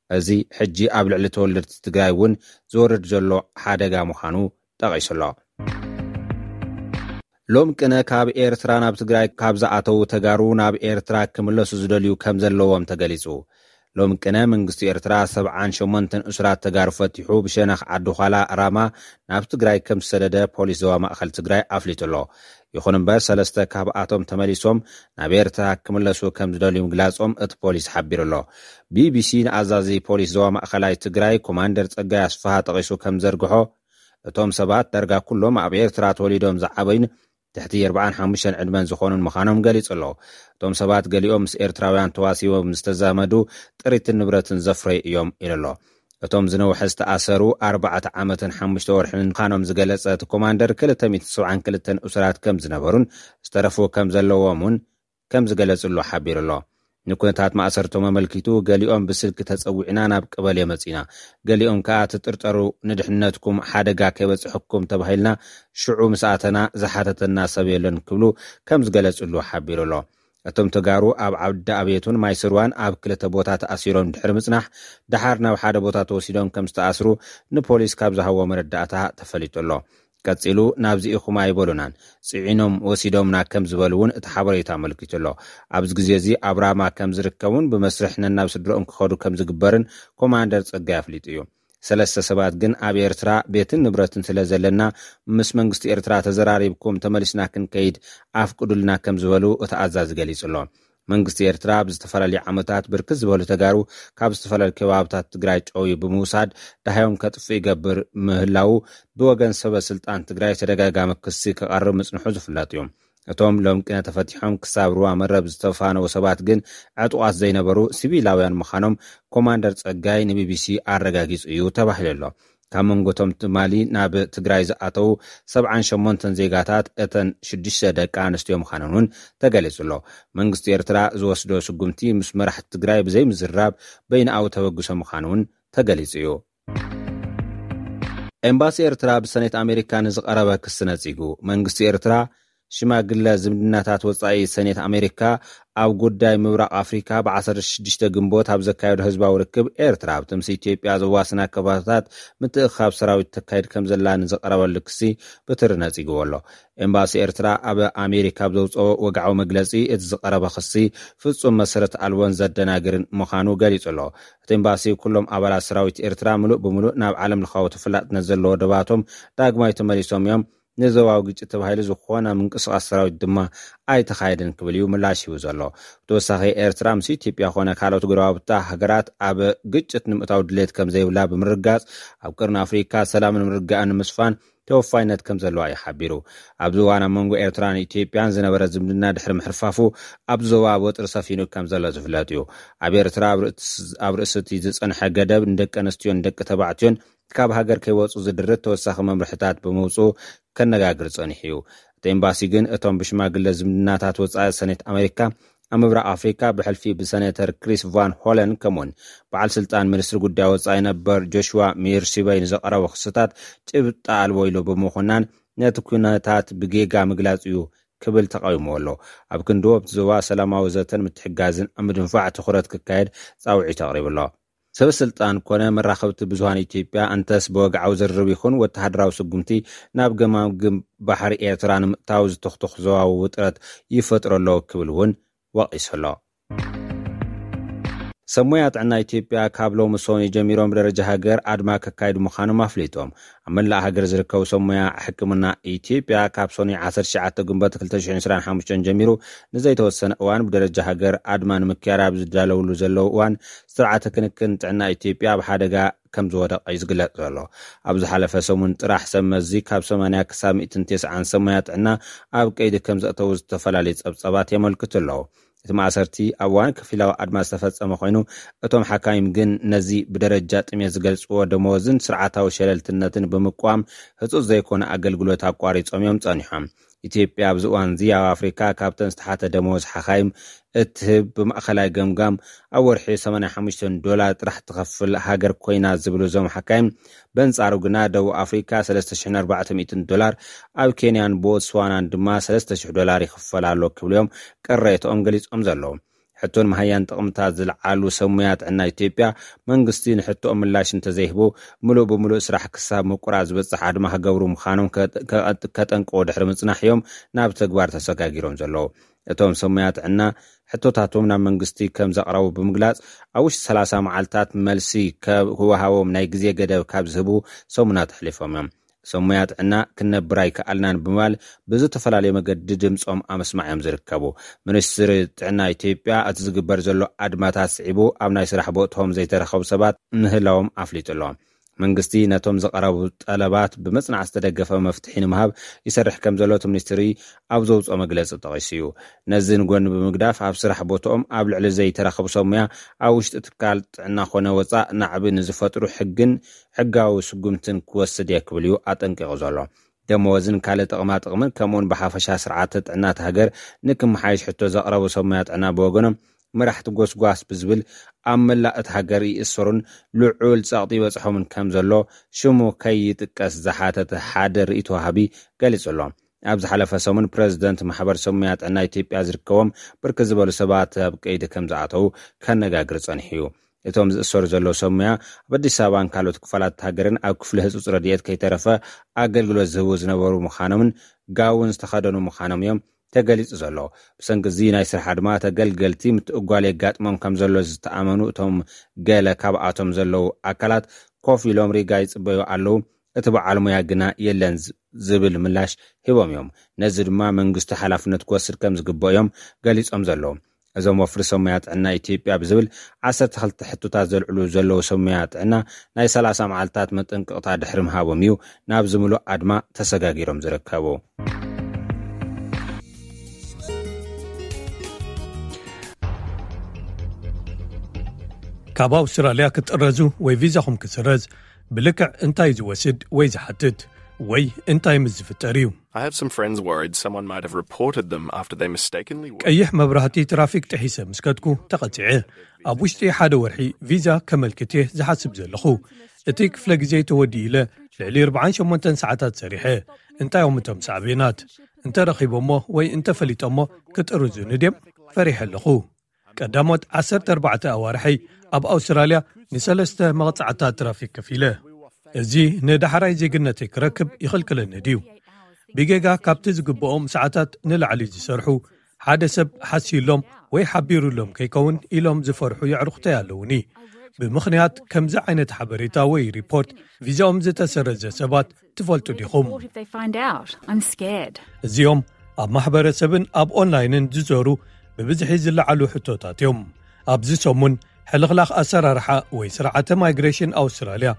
እዚ ሕጂ ኣብ ልዕሊ ተወለድቲ ትግራይ እውን ዝወርድ ዘሎ ሓደጋ ምዃኑ ጠቒሱ ኣሎ። ሎም ቅነ ካብ ኤርትራ ናብ ትግራይ ካብ ዝኣተዉ ተጋሩ ናብ ኤርትራ ክምለሱ ዝደልዩ ከም ዘለዎም ተገሊጹ። ሎም ቅነ መንግስቲ ኤርትራ ሰብዓን ሸሞንተን እሱራት ተጋሩ ፈቲሑ ብሸነኽ ዓዲ ዃላ ራማ ናብ ትግራይ ከም ዝሰደደ ፖሊስ ዞባ ማእኸል ትግራይ ኣፍሊጡ ኣሎ። ይኹን እምበር ሰለስተ ካብኣቶም ተመሊሶም ናብ ኤርትራ ክምለሱ ከም ዝደልዩ ምግላጾም እቲ ፖሊስ ሓቢሩ ኣሎ። ቢቢሲ ንኣዛዚ ፖሊስ ዞባ ማእኸላይ ትግራይ ኮማንደር ጸጋይ ኣስፍሃ ጠቒሱ ከም ዘርግሖ፣ እቶም ሰባት ዳርጋ ኩሎም ኣብ ኤርትራ ተወሊዶም ዝዓበዩን ትሕቲ ኣርባዓን ሓሙሽተን ዕድመን ዝኾኑን ምዃኖም ገሊጹ ኣሎ። እቶም ሰባት ገሊኦም ምስ ኤርትራውያን ተዋሲቦም ዝተዛመዱ ጥሪትን ንብረትን ዘፍረዩ እዮም ኢሉ ኣሎ። እቶም ዝነውሐ ዝተኣሰሩ ኣርባዕተ ዓመትን ሓሙሽተ ወርሕን ምዃኖም ዝገለጸ እቲ ኮማንደር፣ ክልተ ሚእቲ ሰብዓን ክልተን እሱራት ከም ዝነበሩን ዝተረፉ ከም ዘለዎም እውን ከም ዝገለጽሉ ሓቢሩ ኣሎ። ንኩነታት ማእሰርቶም ኣመልኪቱ፣ ገሊኦም ብስልኪ ተጸዊዕና ናብ ቀበሌ መጺና፣ ገሊኦም ከኣ ትጥርጠሩ፣ ንድሕነትኩም ሓደጋ ከይበጽሐኩም ተባሂልና ሽዑ ምስ ኣተና ዝሓተተና ሰብ የለን ክብሉ ከም ዝገለጽሉ ሓቢሩ ኣሎ። እቶም ተጋሩ ኣብ ዓዲ ኣቤቱን ማይ ስርዋን ኣብ ክልተ ቦታ ተኣሲሮም ድሕሪ ምጽናሕ፣ ደሓር ናብ ሓደ ቦታ ተወሲዶም ከም ዝተኣስሩ ንፖሊስ ካብ ዝሃቦ መረዳእታ ተፈሊጡ ኣሎ። ቀጺሉ፣ ናብዚ ኢኹም ኣይበሉናን፣ ጽዒኖም ወሲዶምና ከም ዝበሉ እውን እቲ ሓበሬታ ኣመልኪቱ ኣሎ። ኣብዚ ግዜ እዚ ኣብ ራማ ከም ዝርከቡን ብመስርሕ ነናብ ስድረኦም ክኸዱ ከም ዝግበርን ኮማንደር ጸጋይ ኣፍሊጡ እዩ። ሰለስተ ሰባት ግን ኣብ ኤርትራ ቤትን ንብረትን ስለ ዘለና፣ ምስ መንግስቲ ኤርትራ ተዘራሪብኩም ተመሊስና ክንከይድ ኣፍቅዱልና ከም ዝበሉ እቲ ኣዛዚ ገሊጹ ኣሎ። መንግስቲ ኤርትራ ኣብ ዝተፈላለዩ ዓመታት ብርክት ዝበሉ ተጋሩ ካብ ዝተፈላለዩ ከባብታት ትግራይ ጨውዩ ብምውሳድ ደሃዮም ከጥፍእ ይገብር ምህላዉ ብወገን ሰበ ስልጣን ትግራይ ተደጋጋሚ ክሲ ክቐርብ ምጽንሑ ዝፍለጥ እዩ። እቶም ሎም ቅነ ተፈቲሖም ክሳብ ሩባ መረብ ዝተፋነዉ ሰባት ግን ዕጡቓት ዘይነበሩ ሲቪላውያን ምዃኖም ኮማንደር ጸጋይ ንቢቢሲ ኣረጋጊጹ እዩ ተባሂሉ ኣሎ። ካብ መንጎቶም ትማሊ ናብ ትግራይ ዝኣተዉ ሰብዓን ሸሞንተን ዜጋታት፣ እተን ሽዱሽተ ደቂ ኣንስትዮ ምዃነን እውን ተገሊጹ ኣሎ። መንግስቲ ኤርትራ ዝወስዶ ስጉምቲ ምስ መራሕቲ ትግራይ ብዘይምዝራብ በይንኣዊ ተበግሶ ምዃኑ እውን ተገሊጹ እዩ። ኤምባሲ ኤርትራ ብሰኔት ኣሜሪካ ንዝቐረበ ክሲ ነጺጉ። መንግስቲ ኤርትራ ሽማግለ ዝምድናታት ወጻኢ ሰኔት ኣሜሪካ ኣብ ጉዳይ ምብራቕ ኣፍሪካ ብ16 ግንቦት ኣብ ዘካየዶ ህዝባዊ ርክብ፣ ኤርትራ ኣብቲ ምስ ኢትዮጵያ ዘዋስና ከባቢታት ምትእኻብ ሰራዊት ተካይድ ከም ዘላ ንዝቐረበሉ ክሲ ብትሪ ነጺግዎ ኣሎ። ኤምባሲ ኤርትራ ኣብ ኣሜሪካ ኣብ ዘውፅኦ ወግዓዊ መግለጺ፣ እቲ ዝቐረበ ክሲ ፍጹም መሰረት ኣልቦን ዘደናግርን ምዃኑ ገሊጹ ኣሎ። እቲ ኤምባሲ፣ ኩሎም ኣባላት ሰራዊት ኤርትራ ምሉእ ብምሉእ ናብ ዓለም ለኻዊ ተፈላጥነት ዘለዎ ደባቶም ዳግማይ ተመሊሶም እዮም፣ ንዞባዊ ግጭት ተባሂሉ ዝኾነ ምንቅስቓስ ሰራዊት ድማ ኣይተኻየደን ክብል እዩ ምላሽ ሂቡ ዘሎ። ብተወሳኺ፣ ኤርትራ ምስ ኢትዮጵያ ኮነ ካልኦት ጎረባብታ ሃገራት ኣብ ግጭት ንምእታው ድሌት ከም ዘይብላ ብምርጋጽ፣ ኣብ ቀርኒ ኣፍሪካ ሰላምን ምርግጋእን ንምስፋን ተወፋይነት ከም ዘለዋ እዩ ሓቢሩ። ኣብዚ እዋን ኣብ መንጎ ኤርትራን ኢትዮጵያን ዝነበረ ዝምድና ድሕሪ ምሕርፋፉ፣ ኣብ ዞባ ወጥሪ ሰፊኑ ከም ዘሎ ዝፍለጥ እዩ። ኣብ ኤርትራ ኣብ ርእስ-፣ ኣብ ርእሲ እቲ ዝጸንሐ ገደብ፣ ንደቂ ኣንስትዮን ደቂ ተባዕትዮን ካብ ሃገር ከይወጹ ዝድርት ተወሳኺ መምርሕታት ብምውጽኡ ከነጋግር ጸኒሑ እዩ። እቲ ኤምባሲ ግን፣ እቶም ብሽማግለ ዝምድናታት ወጻኢ ሰኔት ኣሜሪካ ኣብ ምብራቕ ኣፍሪካ፣ ብሕልፊ ብሰኔተር ክሪስ ቫን ሆለን፣ ከምኡውን በዓል ስልጣን ሚኒስትሪ ጉዳይ ወጻኢ ነበር ጆሽዋ ሚርሲበይ ንዘቐረቦ ክስታት ጭብጢ ኣልቦ ኢሉ ብምኹናን፣ ነቲ ኩነታት ብጌጋ ምግላጽ እዩ ክብል ተቃዊምዎ ኣሎ። ኣብ ክንዲ ኣብቲ ዞባ ሰላማዊ ዘተን ምትሕጋዝን ኣብ ምድንፋዕ ትኹረት ክካየድ ጻውዒት ኣቕሪቡ ኣሎ። ሰበ ስልጣን ኮነ መራኸብቲ ብዙሃን ኢትዮጵያ፣ እንተስ ብወግዓዊ ዝርርብ ይኹን ወተሃደራዊ ስጉምቲ ናብ ገማግም ባሕሪ ኤርትራ ንምእታው ዝትኽትኽ ዞባዊ ውጥረት ይፈጥሮ ኣሎ ክብል እውን ወቒሱ ኣሎ። ሰብ ሞያ ጥዕና ኢትዮጵያ ካብ ሎሚ ሰኑይ ጀሚሮም ብደረጃ ሃገር ኣድማ ከካይዱ ምዃኖም ኣፍሊጦም። ኣብ መላእ ሃገር ዝርከቡ ሰብ ሞያ ሕክምና ኢትዮጵያ፣ ካብ ሰኑይ ዓሰርተ ትሽዓተ ግንቦት ክልተ ሽሕን ዕስራን ሓሙሽተን ጀሚሩ ንዘይተወሰነ እዋን ብደረጃ ሃገር ኣድማ ንምክያድ ኣብ ዝዳለውሉ ዘለዉ እዋን፣ ስርዓተ ክንክን ጥዕና ኢትዮጵያ ኣብ ሓደጋ ከም ዝወደቐ እዩ ዝግለጽ ዘሎ። ኣብ ዝሓለፈ ሰሙን ጥራሕ ሰብ መዚ ካብ ሰማንያ ክሳብ ሚእትን ተስዓን ሰብ ሞያ ጥዕና ኣብ ቀይዲ ከም ዘእተዉ ዝተፈላለዩ ጸብጻባት የመልክቱ ኣለዉ። እቲ ማእሰርቲ ኣብ እዋን ከፊላዊ ኣድማ ዝተፈጸመ ኮይኑ፣ እቶም ሓካይም ግን ነዚ ብደረጃ ጥሜት ዝገልጽዎ ደመወዝን ስርዓታዊ ሸለልትነትን ብምቅዋም፣ ህጹጽ ዘይኮነ ኣገልግሎት ኣቋሪጾም እዮም ጸኒሖም። ኢትዮጵያ ኣብዚ እዋን እዚ ኣብ ኣፍሪካ ካብተን ዝተሓተ ደመወዝ ሓካይም እትህብ ብማእኸላይ ገምጋም ኣብ ወርሒ ሰማንያ ሓሙሽተ ዶላር ጥራሕ ትኸፍል ሃገር ኮይና ዝብሉ እዞም ሓካይም፣ በንጻሩ ግና ደቡብ ኣፍሪካ ሰለስተ ሽሕን ኣርባዕተ ሚእትን ዶላር፣ ኣብ ኬንያን ቦትስዋናን ድማ ሰለስተ ሽሕ ዶላር ይኽፈል ኣሎ ክብሉ እዮም ቅሬትኦም ገሊጾም ዘለዉ። ሕቶን መሃያን ጥቕምታት ዝለዓሉ ሰብ ሞያ ጥዕና ኢትዮጵያ፣ መንግስቲ ንሕቶኦም ምላሽ እንተዘይህቡ፣ ምሉእ ብምሉእ ስራሕ ክሳብ ምቁራጽ ዝበጽሕ ኣድማ ክገብሩ ምዃኖም ከ-፣ ከ-፣ ከጠንቅቑ ድሕሪ ምጽናሕ እዮም ናብ ተግባር ተሰጋጊሮም ዘለዉ። እቶም ሰብ ሞያ ጥዕና፣ ሕቶታቶም ናብ መንግስቲ ከም ዘቕረቡ ብምግላጽ፣ ኣብ ውሽጢ ሰላሳ መዓልታት መልሲ ከ-፣ ክወሃቦም ናይ ግዜ ገደብ ካብ ዝህቡ ሰሙናት ኣሕሊፎም እዮም። ሰብ ሞያ ጥዕና፣ ክንነብር ኣይከኣልናን ብምባል ብዝተፈላለየ መገዲ ድምጾም ኣብ ምስማዕ እዮም ዝርከቡ። ሚኒስትሪ ጥዕና ኢትዮጵያ፣ እቲ ዝግበር ዘሎ ኣድማታት ስዒቡ፣ ኣብ ናይ ስራሕ ቦትኦም ዘይተረኸቡ ሰባት ምህላዎም ኣፍሊጡ ኣሎ። መንግስቲ ነቶም ዝቐረቡ ጠለባት ብመጽናዕቲ ዝተደገፈ መፍትሒ ንምሃብ ይሰርሕ ከም ዘሎ እቲ ሚኒስትሪ ኣብ ዘውፅኦ መግለፂ ጠቒሱ እዩ። ነዚ ንጎኒ ብምግዳፍ፣ ኣብ ስራሕ ቦትኦም ኣብ ልዕሊ ዘይተረኸቡ ሰብ ሞያ፣ ኣብ ውሽጢ ትካል ጥዕና ኮነ ወፃእ ናዕቢ ንዝፈጥሩ ሕግን ሕጋዊ ስጉምትን ክወስድ እየ ክብል እዩ ኣጠንቂቑ ዘሎ። ደመወዝን ካልእ ጥቕማ ጥቕምን፣ ከምኡውን ብሓፈሻ ስርዓተ ጥዕና እቲ ሃገር ንክመሓየሽ ሕቶ ዘቕረቡ ሰብ ሞያ ጥዕና ብወገኖም፣ መራሕቲ ጎስጓስ ብዝብል ኣብ መላእ እቲ ሃገር ይእሰሩን ልዑል ጸቕጢ ይበጽሖምን ከም ዘሎ፣ ሽሙ ከይጥቀስ ዝሓተተ ሓደ ርእይቶ ወሃቢ ገሊጹ ኣሎ። ኣብ ዝሓለፈ ሰሙን፣ ፕረዚደንት ማሕበር ሰብ ሞያ ጥዕና ኢትዮጵያ ዝርከቦም ብርክት ዝበሉ ሰባት ኣብ ቀይዲ ከም ዝኣተዉ ከነጋግር ጸኒሑ እዩ። እቶም ዝእሰሩ ዘለዉ ሰብ ሞያ፣ ኣብ ኣዲስ ኣበባን ካልኦት ክፋላት ሃገርን ኣብ ክፍሊ ህጹጽ ረድኤት ከይተረፈ ኣገልግሎት ዝህቡ ዝነበሩ ምዃኖምን ጋውን ዝተኸደኑ ምዃኖም እዮም ተገሊጹ ዘሎ። ብሰንኪ እዚ ናይ ስራሕ ኣድማ፣ ተገልገልቲ ምትእጓል የጋጥሞም ከም ዘሎ ዝተኣመኑ እቶም ገለ ካብኣቶም ዘለዉ ኣካላት፣ ኮፍ ኢሎም ሪጋ ይጽበዩ ኣለዉ፣ እቲ በዓል ሞያ ግና የለን ዝ-፣ ዝብል ምላሽ ሂቦም እዮም። ነዚ ድማ መንግስቲ ሓላፍነት ክወስድ ከም ዝግብኦ እዮም ገሊጾም ዘለዉ። እዞም ወፍሪ ሰብ ሞያ ጥዕና ኢትዮጵያ ብዝብል ዓሰርተ ክልተ ሕቶታት ዘልዕሉ ዘለዉ ሰብ ሞያ ጥዕና፣ ናይ ሰላሳ መዓልታት መጠንቀቕታ ድሕሪ ምሃቦም እዩ ናብዚ ምሉእ ኣድማ ተሰጋጊሮም ዝርከቡ። ካብ ኣውስትራልያ ክትጥረዙ ወይ ቪዛኹም ክስረዝ ብልክዕ እንታይ ዝወስድ ወይ ዝሓትት ወይ እንታይ ምስ ዝፍጠር እዩ? I have some friends worried someone might have reported them after they mistakenly walked ቀይሕ መብራህቲ ትራፊክ ጥሒሰ ምስ ከድኩ ተቐጺዐ። ኣብ ውሽጢ ሓደ ወርሒ ቪዛ ከመልክት እየ ዝሓስብ ዘለኹ። እቲ ክፍለ ግዜ ተወዲኡ ኢለ ልዕሊ ኣርባዓን ሸሞንተን ሰዓታት ሰሪሐ። እንታይ እዮም እቶም ሳዕቤናት? እንተረኺቦሞ ወይ እንተፈሊጦሞ ክጥርዙኒ ድዮም? ፈሪሐ ኣለኹ። ቀዳሞት ዓሰርተ ኣርባዕተ ኣዋርሐይ ኣብ ኣውስትራልያ ንሰለስተ መቕጻዕታ ትራፊክ ከፊለ። እዚ ንዳሕራይ ዜግነተይ ክረክብ ይኽልክለኒ ድዩ? ብጌጋ ካብቲ ዝግብኦም ሰዓታት ንላዕሊ ዝሰርሑ፣ ሓደ ሰብ ሓስዩሎም ወይ ሓቢሩሎም ከይከውን ኢሎም ዝፈርሑ የዕሩኽተይ ኣለውኒ። ብምኽንያት ከምዚ ዓይነት ሓበሬታ ወይ ሪፖርት ቪዛኦም ዝተሰረዘ ሰባት ትፈልጡ ዲኹም? What if they find out? I'm scared. እዚኦም ኣብ ማሕበረሰብን ኣብ ኦንላይንን ዝዞሩ ብብዝሒ ዝለዓሉ ሕቶታት እዮም። ኣብዚ ሰሙን ሕልኽላኽ ኣሰራርሓ ወይ ስርዓተ ማይግሬሽን ኣውስትራልያ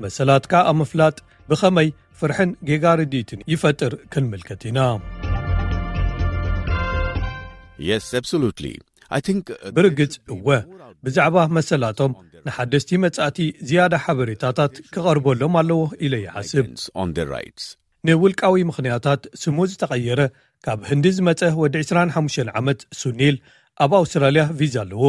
መሰላትካ ኣብ ምፍላጥ ብኸመይ ፍርሕን ጌጋ ርድኢትን ይፈጥር ክንምልከት ኢና። Yes, absolutely. I think uh, ብርግጽ እወ፣ ብዛዕባ መሰላቶም ንሓደስቲ መጻእቲ ዝያዳ ሓበሬታታት ክቐርበሎም ኣለዎ ኢለ ይሓስብ። on their rights. ንውልቃዊ ምኽንያታት ስሙ ዝተቐየረ ካብ ህንዲ ዝመጸ ወዲ ዕስራን ሓሙሽተን ዓመት ሱኒል ኣብ ኣውስትራልያ ቪዛ ኣለዎ።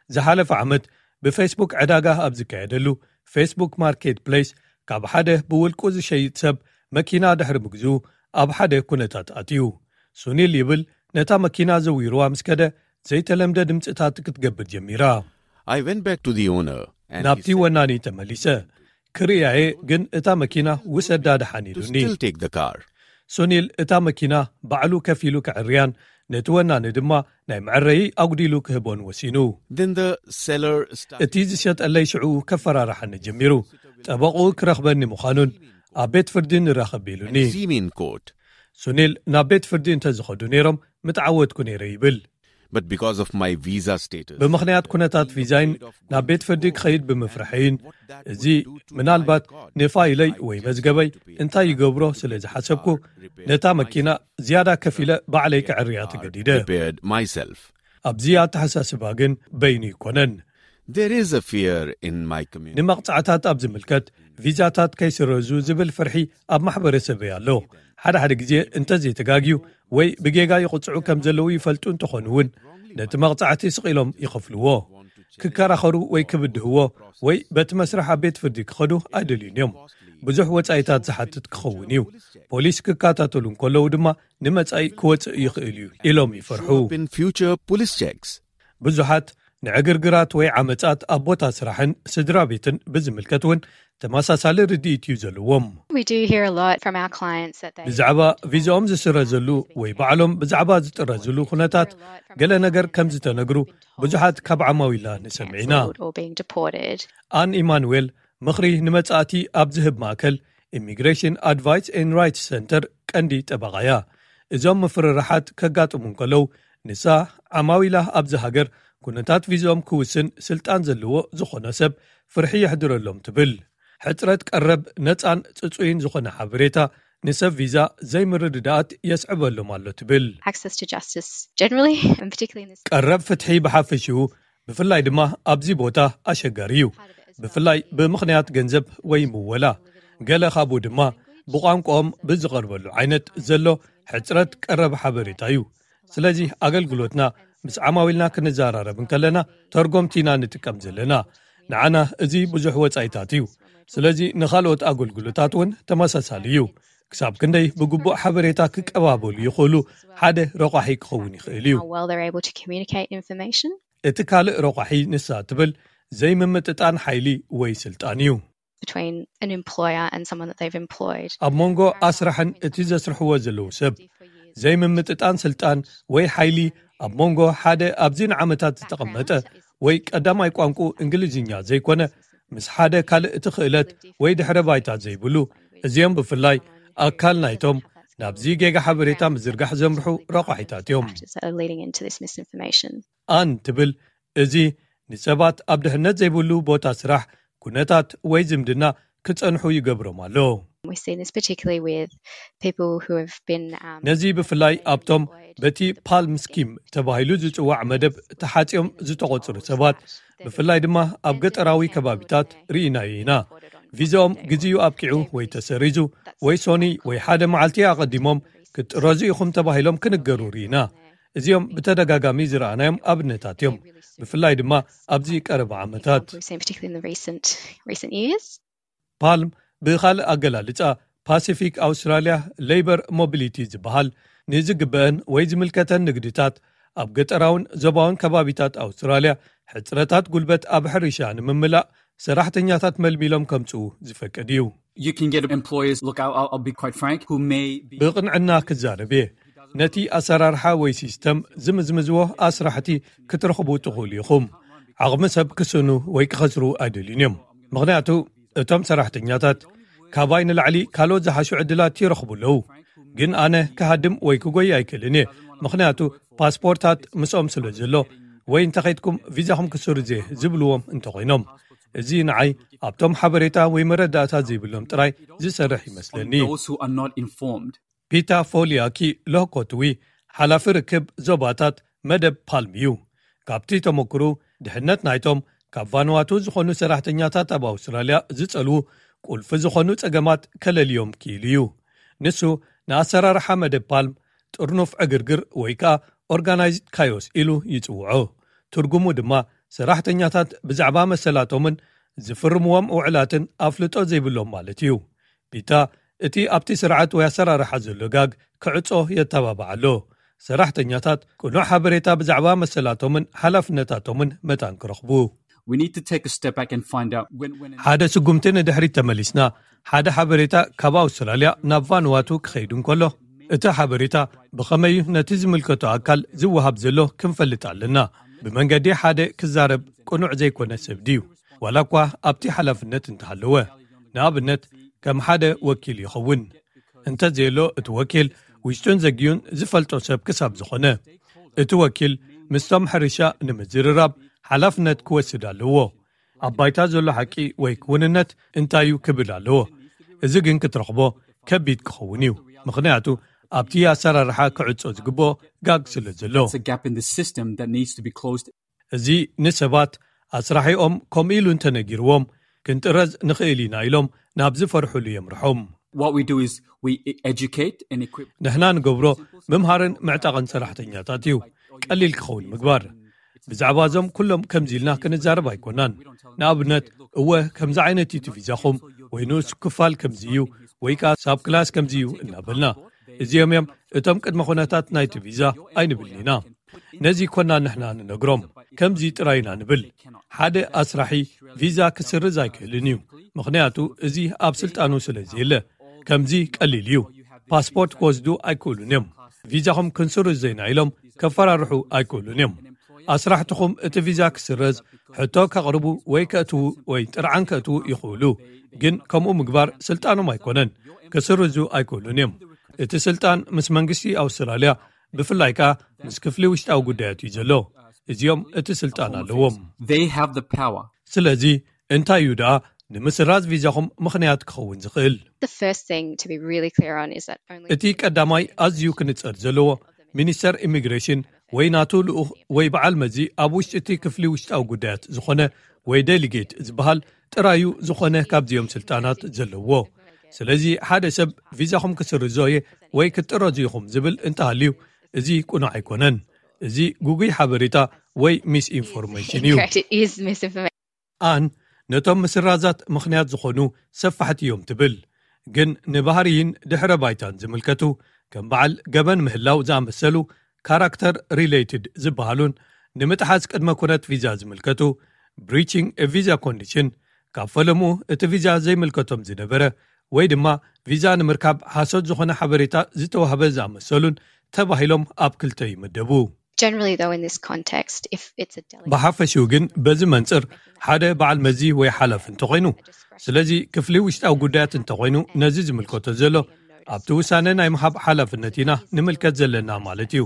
ዝሓለፈ ዓመት ብፌስቡክ ዕዳጋ ኣብ ዝካየደሉ ፌስቡክ ማርኬት ፕሌስ ካብ ሓደ ብውልቁ ዝሸይጥ ሰብ መኪና ድሕሪ ምግዝኡ ኣብ ሓደ ኩነታት ኣትዩ። ሱኒል ይብል፣ ነታ መኪና ዘዊርዋ ምስ ከደ ዘይተለምደ ድምፅታት ክትገብር ጀሚራ። I went back to the owner and he ናብቲ said ወናኒ ተመሊሰ ክርእያየ፣ ግን እታ መኪና ውሰዳ ደሓን to ኢሉኒ። still take the car. ሱኒል እታ መኪና ባዕሉ ከፊሉ ክዕርያን ነቲ ወናኒ ድማ ናይ መዐረዪ ኣጉዲሉ ክህቦን ወሲኑ። Then the seller started እቲ ዝሸጠለይ ሽዑ ከፈራርሓኒ ጀሚሩ። ጠበቑ ክረኽበኒ ምዃኑን ኣብ ቤት ፍርዲ ንራኸብ ኢሉኒ። see me in court. ሱኒል ናብ ቤት ፍርዲ እንተዝኸዱ ነይሮም ምተዓወትኩ ነይረ ይብል። But because of my visa status, ብምኽንያት ኩነታት ቪዛይን ናብ ቤት ፍርዲ ክኸይድ ብምፍርሐይን እዚ ምናልባት ንፋይለይ ወይ መዝገበይ እንታይ ይገብሮ ስለ ዝሓሰብኩ ነታ መኪና ዝያዳ ከፊለ ባዕለይ ክዕርያ ተገዲደ። prepared myself. ኣብዚ ኣተሓሳስባ ግን በይኑ ይኮነን። There is a fear in my community. ንመቕጻዕታት ኣብ ዝምልከት ቪዛታት ከይስረዙ ዝብል ፍርሒ ኣብ ማሕበረሰበይ ኣሎ። ሓደ ሓደ ግዜ እንተዘይተጋግዩ ወይ ብጌጋ ይቕጽዑ ከም ዘለዉ ይፈልጡ እንተኾኑ እውን ነቲ መቕጻዕቲ ስቕ ኢሎም ይኸፍልዎ። ክከራኸሩ ወይ ክብድህዎ ወይ በቲ መስርሕ ኣብ ቤት ፍርዲ ክኸዱ ኣይደልዩን እዮም። ብዙሕ ወጻኢታት ዝሓትት ክኸውን እዩ። ፖሊስ ክከታተሉ እንከለዉ ድማ ንመጻኢ ክወጽእ ይኽእል እዩ ኢሎም ይፈርሑ። In future police checks. ብዙሓት ንዕግርግራት ወይ ዓመጻት ኣብ ቦታ ስራሕን ስድራ ቤትን ብዝምልከት እውን ተመሳሳሊ ርድኢት እዩ ዘለዎም። We do hear a lot from our clients that they ብዛዕባ ቪዛኦም ዝስረዘሉ ወይ ባዕሎም ብዛዕባ ዝጥረዝሉ ኩነታት ገለ ነገር ከም ዝተነግሩ ብዙሓት ካብ ዓማዊላ ንሰምዕ ኢና። cancelled or being deported. ኣን ኢማኑዌል ምኽሪ ንመጻእቲ ኣብ ዝህብ ማእከል ኢሚግሬሽን ኣድቫይስ ኤን ራይትስ ሰንተር ቀንዲ ጠበቓ እያ። እዞም ምፍርራሓት ከጋጥሙ እንከለዉ ንሳ ዓማዊላ ኣብዚ ሃገር ኩነታት ቪዛኦም ክውስን ስልጣን ዘለዎ ዝኾነ ሰብ ፍርሒ የሕድረሎም ትብል። ሕጽረት ቀረብ ነጻን ጽጹይን ዝኾነ ሓበሬታ ንሰብ ቪዛ ዘይምርድዳኣት የስዕበሎም ኣሎ ትብል። Access to justice generally, and particularly in this ቀረብ ፍትሒ ብሓፈሽኡ ብፍላይ ድማ ኣብዚ ቦታ ኣሸጋሪ እዩ። ብፍላይ ብምኽንያት ገንዘብ ወይ ምወላ፣ ገለ ካብኡ ድማ ብቋንቋኦም ብዝቐርበሉ ዓይነት ዘሎ ሕጽረት ቀረብ ሓበሬታ እዩ። ስለዚ ኣገልግሎትና ምስ ዓማዊልና ክንዘራረብ እንከለና ተርጎምቲ ኢና ንጥቀም ዘለና። ንዓና እዚ ብዙሕ ወጻኢታት እዩ። ስለዚ ንኻልኦት ኣገልግሎታት እውን ተመሳሳሊ እዩ። ክሳብ ክንደይ ብግቡእ ሓበሬታ ክቀባበሉ ይኽእሉ ሓደ ረቋሒ ክኸውን ይኽእል እዩ። How well they're able to communicate information. እቲ ካልእ ረቋሒ ንሳ ትብል ዘይምምጥጣን ሓይሊ ወይ ስልጣን እዩ። Between an employer and someone that they've employed. ኣብ መንጎ ኣስራሕን እቲ ዘስርሕዎ ዘለዉ ሰብ ዘይምምጥጣን ስልጣን ወይ ሓይሊ ኣብ መንጎ ሓደ ኣብዚ ንዓመታት ዝተቐመጠ ወይ ቀዳማይ ቋንቋ እንግሊዝኛ ዘይኮነ ምስ ሓደ ካልእ እቲ ክእለት ወይ ድሕረ ባይታ ዘይብሉ፣ እዚኦም ብፍላይ ኣካል ናይቶም ናብዚ ጌጋ ሓበሬታ ምዝርጋሕ ዘምርሑ ረቋሒታት እዮም። Factors that are leading into this misinformation. ኣን ትብል እዚ ንሰባት ኣብ ድሕነት ዘይብሉ ቦታ ስራሕ፣ ኩነታት ወይ ዝምድና ክጸንሑ ይገብሮም ኣሎ። We've seen this particularly with people who have been um, ነዚ ብፍላይ ኣብቶም በቲ ፓልም ስኪም ተባሂሉ ዝጽዋዕ መደብ ተሓጽዮም ዝተቖጽሩ ሰባት፣ ብፍላይ ድማ ኣብ ገጠራዊ ከባቢታት ርኢናዮ ኢና። ቪዛኦም ግዜኡ ኣብቂዑ ወይ ተሰሪዙ ወይ ሶኒ ወይ ሓደ መዓልቲ ኣቐዲሞም ክትጥረዙ ኢኹም ተባሂሎም ክንገሩ ርኢና። እዚኦም ብተደጋጋሚ ዝረኣናዮም ኣብነታት እዮም። ብፍላይ ድማ ኣብዚ ቀረባ ዓመታት። We've seen particularly in the recent recent years. ፓልም ብኻልእ ኣገላልጻ ፓሲፊክ ኣውስትራልያ ሌበር ሞቢሊቲ ዝበሃል ንዝግበአን ወይ ዝምልከተን ንግድታት ኣብ ገጠራውን ዞባውን ከባቢታት ኣውስትራልያ ሕፅረታት ጉልበት ኣብ ሕርሻ ንምምላእ ሰራሕተኛታት መልሚሎም ከምፅኡ ዝፈቅድ እዩ። You can get employers, look, I'll, I'll be quite frank, who may be ብቕንዕና ክዛረብ እየ። ነቲ ኣሰራርሓ ወይ ሲስተም ዝምዝምዝዎ ኣስራሕቲ ክትረኽቡ ትኽእሉ ኢኹም። ዓቕሚ ሰብ ክስእኑ ወይ ክኸስሩ ኣይደልዩን እዮም። ምኽንያቱ እቶም ሰራሕተኛታት ካባይ ንላዕሊ ካልኦት ዝሓሹ ዕድላት ይረኽቡ ኣለዉ። ግን ኣነ ክሃድም ወይ ክጎይ ኣይክእልን እየ። ምኽንያቱ ፓስፖርታት ምስኦም ስለ ዘሎ ወይ እንተኸይድኩም ቪዛኹም ክስርዝ እየ ዝብልዎም እንተኾይኖም፣ እዚ ንዓይ ኣብቶም ሓበሬታ ወይ መረዳእታ ዘይብሎም ጥራይ ዝሰርሕ ይመስለኒ። Those who are not informed. ፒታ ፎሊያኪ ሎኮትዊ ሓላፊ ርክብ ዞባታት መደብ ፓልም እዩ። ካብቲ ተመክሩ ድሕነት ናይቶም ካብ ቫንዋቱ ዝኾኑ ሰራሕተኛታት ኣብ ኣውስትራልያ ዝጸልዉ ቁልፊ ዝኾኑ ጸገማት ከለልዮም ክኢሉ እዩ። ንሱ ንኣሰራርሓ መደብ ፓልም ጥርኑፍ ዕግርግር ወይ ከኣ ኦርጋናይዝድ ካዮስ ኢሉ ይጽውዖ። ትርጉሙ ድማ ሰራሕተኛታት ብዛዕባ መሰላቶምን ዝፍርምዎም ውዕላትን ኣፍልጦ ዘይብሎም ማለት እዩ። ፒታ እቲ ኣብቲ ስርዓት ወይ ኣሰራርሓ ዘሎ ጋግ ክዕጾ የተባብዓ ኣሎ። ሰራሕተኛታት ቅኑዕ ሓበሬታ ብዛዕባ መሰላቶምን ሓላፍነታቶምን መታን ክረኽቡ። We need to take a step back and find out when, when ሓደ ስጉምቲ ንድሕሪት ተመሊስና ሓደ ሓበሬታ ካብ ኣውስትራልያ ናብ ቫንዋቱ ክኸይድ እንከሎ እቲ ሓበሬታ ብኸመይ እዩ ነቲ ዝምልከቶ ኣካል ዝወሃብ ዘሎ ክንፈልጥ ኣለና። ብመንገዲ ሓደ ክዛረብ ቅኑዕ ዘይኮነ ሰብ ድዩ ዋላ እኳ ኣብቲ ሓላፍነት እንተሃለወ? ንኣብነት ከም ሓደ ወኪል ይኸውን። እንተዘየሎ እቲ ወኪል ውሽጡን ዘግዩን ዝፈልጦ ሰብ ክሳብ ዝኾነ እቲ ወኪል ምስቶም ሕርሻ ንምዝርራብ ሓላፍነት ክወስድ ኣለዎ። ኣብ ባይታ ዘሎ ሓቂ ወይ ክውንነት እንታይ እዩ ክብል ኣለዎ። እዚ ግን ክትረኽቦ ከቢድ ክኸውን እዩ። ምኽንያቱ ኣብቲ ኣሰራርሓ ክዕጾ ዝግብኦ ጋግ ስለ ዘሎ። It's a gap in the system that needs to be closed. እዚ ንሰባት ኣስራሒኦም ከምኡ ኢሉ እንተነጊርዎም ክንጥረዝ ንኽእል ኢና ኢሎም ናብ ዝፈርሕሉ የምርሖም። What we do is we educate and equip. ንሕና ንገብሮ ምምሃርን ምዕጣቕን ሰራሕተኛታት እዩ። ቀሊል ክኸውን ምግባር ብዛዕባ እዞም ኩሎም ከምዚ ኢልና ክንዛረብ ኣይኮናን። ንኣብነት እወ ከምዚ ዓይነት እዩ እቲ ቪዛኹም ወይ ንኡስ ክፋል ከምዚ እዩ ወይ ከዓ ሳብ ክላስ ከምዚ እዩ እናበልና እዚኦም እዮም እቶም ቅድመ ኩነታት ናይቲ ቪዛ ኣይንብልን ኢና። ነዚ ኮና ንሕና ንነግሮም ከምዚ ጥራይ ኢና ንብል። ሓደ ኣስራሒ ቪዛ ክስርዝ ኣይክእልን እዩ። ምኽንያቱ እዚ ኣብ ስልጣኑ ስለ ዘየለ ከምዚ ቀሊል እዩ። ፓስፖርት ክወስዱ ኣይክእሉን እዮም። ቪዛኹም ክንስርዝ ዘይና ኢሎም ከፈራርሑ ኣይክእሉን እዮም። ኣስራሕትኹም እቲ ቪዛ ክስረዝ ሕቶ ከቕርቡ ወይ ከእትዉ ወይ ጥርዓን ከእትዉ ይኽእሉ። ግን ከምኡ ምግባር ስልጣኖም ኣይኮነን። ክስርዙ ኣይክእሉን እዮም። እቲ ስልጣን ምስ መንግስቲ ኣውስትራልያ ብፍላይ ከኣ ምስ ክፍሊ ውሽጣዊ ጉዳያት እዩ ዘሎ። እዚኦም እቲ ስልጣን ኣለዎም። They have the power. ስለዚ እንታይ እዩ ደኣ ንምስራዝ ቪዛኹም ምኽንያት ክኸውን ዝኽእል? The first thing to be really clear on is that only እቲ ቀዳማይ ኣዝዩ ክንጸር ዘለዎ ሚኒስተር ኢሚግሬሽን ወይ ናቱ ልኡኽ ወይ በዓል መዚ ኣብ ውሽጢ እቲ ክፍሊ ውሽጣዊ ጉዳያት ዝኾነ ወይ ዴሊጌት ዝበሃል ጥራዩ ዝኾነ ካብዚኦም ስልጣናት ዘለዎ። ስለዚ ሓደ ሰብ ቪዛኹም ክስርዞ እየ ወይ ክትጥረዙ ኢኹም ዝብል እንተሃልዩ እዚ ቁኑዕ ኣይኮነን። እዚ ጉጉይ ሓበሬታ ወይ ሚስ ኢንፎርሜሽን እዩ። Correct, it is misinformation. ኣን ነቶም ምስራዛት ምኽንያት ዝኾኑ ሰፋሕቲ እዮም ትብል። ግን ንባህርይን ድሕረ ባይታን ዝምልከቱ ከም በዓል ገበን ምህላው ዝኣመሰሉ ካራክተር ሪሌትድ ዝበሃሉን ንምጥሓስ ቅድመ ኩነት ቪዛ ዝምልከቱ ብሪቺንግ ቪዛ ኮንዲሽን ካብ ፈለሙ እቲ ቪዛ ዘይምልከቶም ዝነበረ ወይ ድማ ቪዛ ንምርካብ ሓሶት ዝኾነ ሓበሬታ ዝተዋህበ ዝኣመሰሉን ተባሂሎም ኣብ ክልተ ይምደቡ። Generally, though, in this context, if it's a delegate ብሓፈሽኡ ግን በዚ መንፅር ሓደ በዓል መዚ ወይ ሓላፊ እንተኾይኑ ስለዚ ክፍሊ ውሽጣዊ ጉዳያት እንተኾይኑ ነዚ ዝምልከቶ ዘሎ ኣብቲ ውሳነ ናይ ምሃብ ሓላፍነት ኢና ንምልከት ዘለና ማለት እዩ።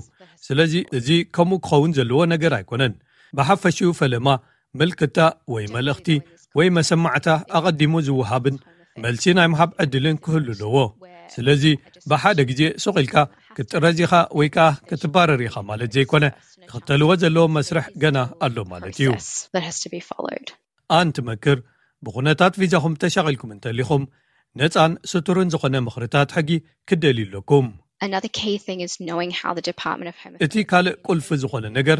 ስለዚ እዚ ከምኡ ክኸውን ዘለዎ ነገር ኣይኮነን። ብሓፈሽኡ ፈለማ ምልክታ ወይ መልእኽቲ ወይ መሰማዕታ ኣቐዲሙ ዝወሃብን መልሲ ናይ ምሃብ ዕድልን ክህሉ ኣለዎ። ስለዚ ብሓደ ግዜ ሱቕ ኢልካ ክትጥረዝ ኢኻ ወይ ከኣ ክትባረር ኢኻ ማለት ዘይኮነ ክኽተልዎ ዘለዎ መስርሕ ገና ኣሎ ማለት እዩ። Process that has to be followed. ኣን ትመክር ብኹነታት ቪዛኹም ተሻቒልኩም እንተሊኹም ነፃን ስቱርን ዝኾነ ምኽርታት ሕጊ ክደልዩ ኣለኩም። Another key thing is knowing how the Department of Home እቲ ካልእ ቁልፊ ዝኾነ ነገር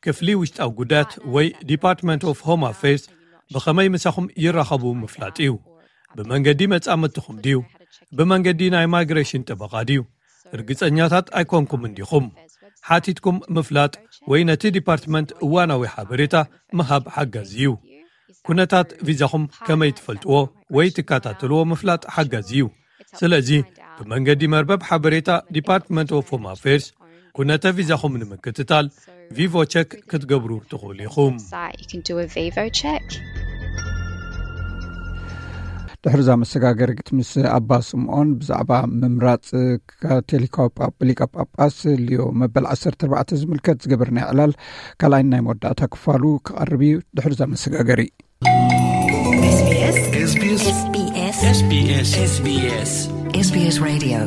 ክፍሊ ውሽጣዊ ጉዳያት ወይ ዲፓርትመንት ኦፍ ሆም ኣፌርስ ብኸመይ ምሳኹም ይራኸቡ ምፍላጥ እዩ። ብመንገዲ መጻምድትኹም ድዩ? ብመንገዲ ናይ ማይግሬሽን ጠበቓ ድዩ? ርግጸኛታት ኣይኮንኩምን ዲኹም? ሓቲትኩም ምፍላጥ ወይ ነቲ ዲፓርትመንት እዋናዊ ሓበሬታ ምሃብ ሓጋዚ እዩ። ኩነታት ቪዛኹም ከመይ ትፈልጥዎ ወይ ትከታተልዎ ምፍላጥ ሓጋዚ እዩ። ስለዚ ብመንገዲ መርበብ ሓበሬታ ዲፓርትመንት ኦፍ ሆም ኣፌርስ ኩነተ ቪዛኹም ንምክትታል ቪቮ ቸክ ክትገብሩ ትኽእሉ ኢኹም። Site, you can do a Vivo check. ድሕርዛ መሰጋገሪት ምስ ኣባ ስምኦን ብዛዕባ ምምራፅ ካቶሊካዊ ሊቀ ጳጳስ ሊዮ መበል ዓሰርተ ኣርባዕተ ዝምልከት ዝገበርና ዕላል ካልኣይ ናይ መወዳእታ ክፋሉ ክቐርብ እዩ። ድሕርዛ መሰጋገሪ SBS SBS SBS SBS Radio.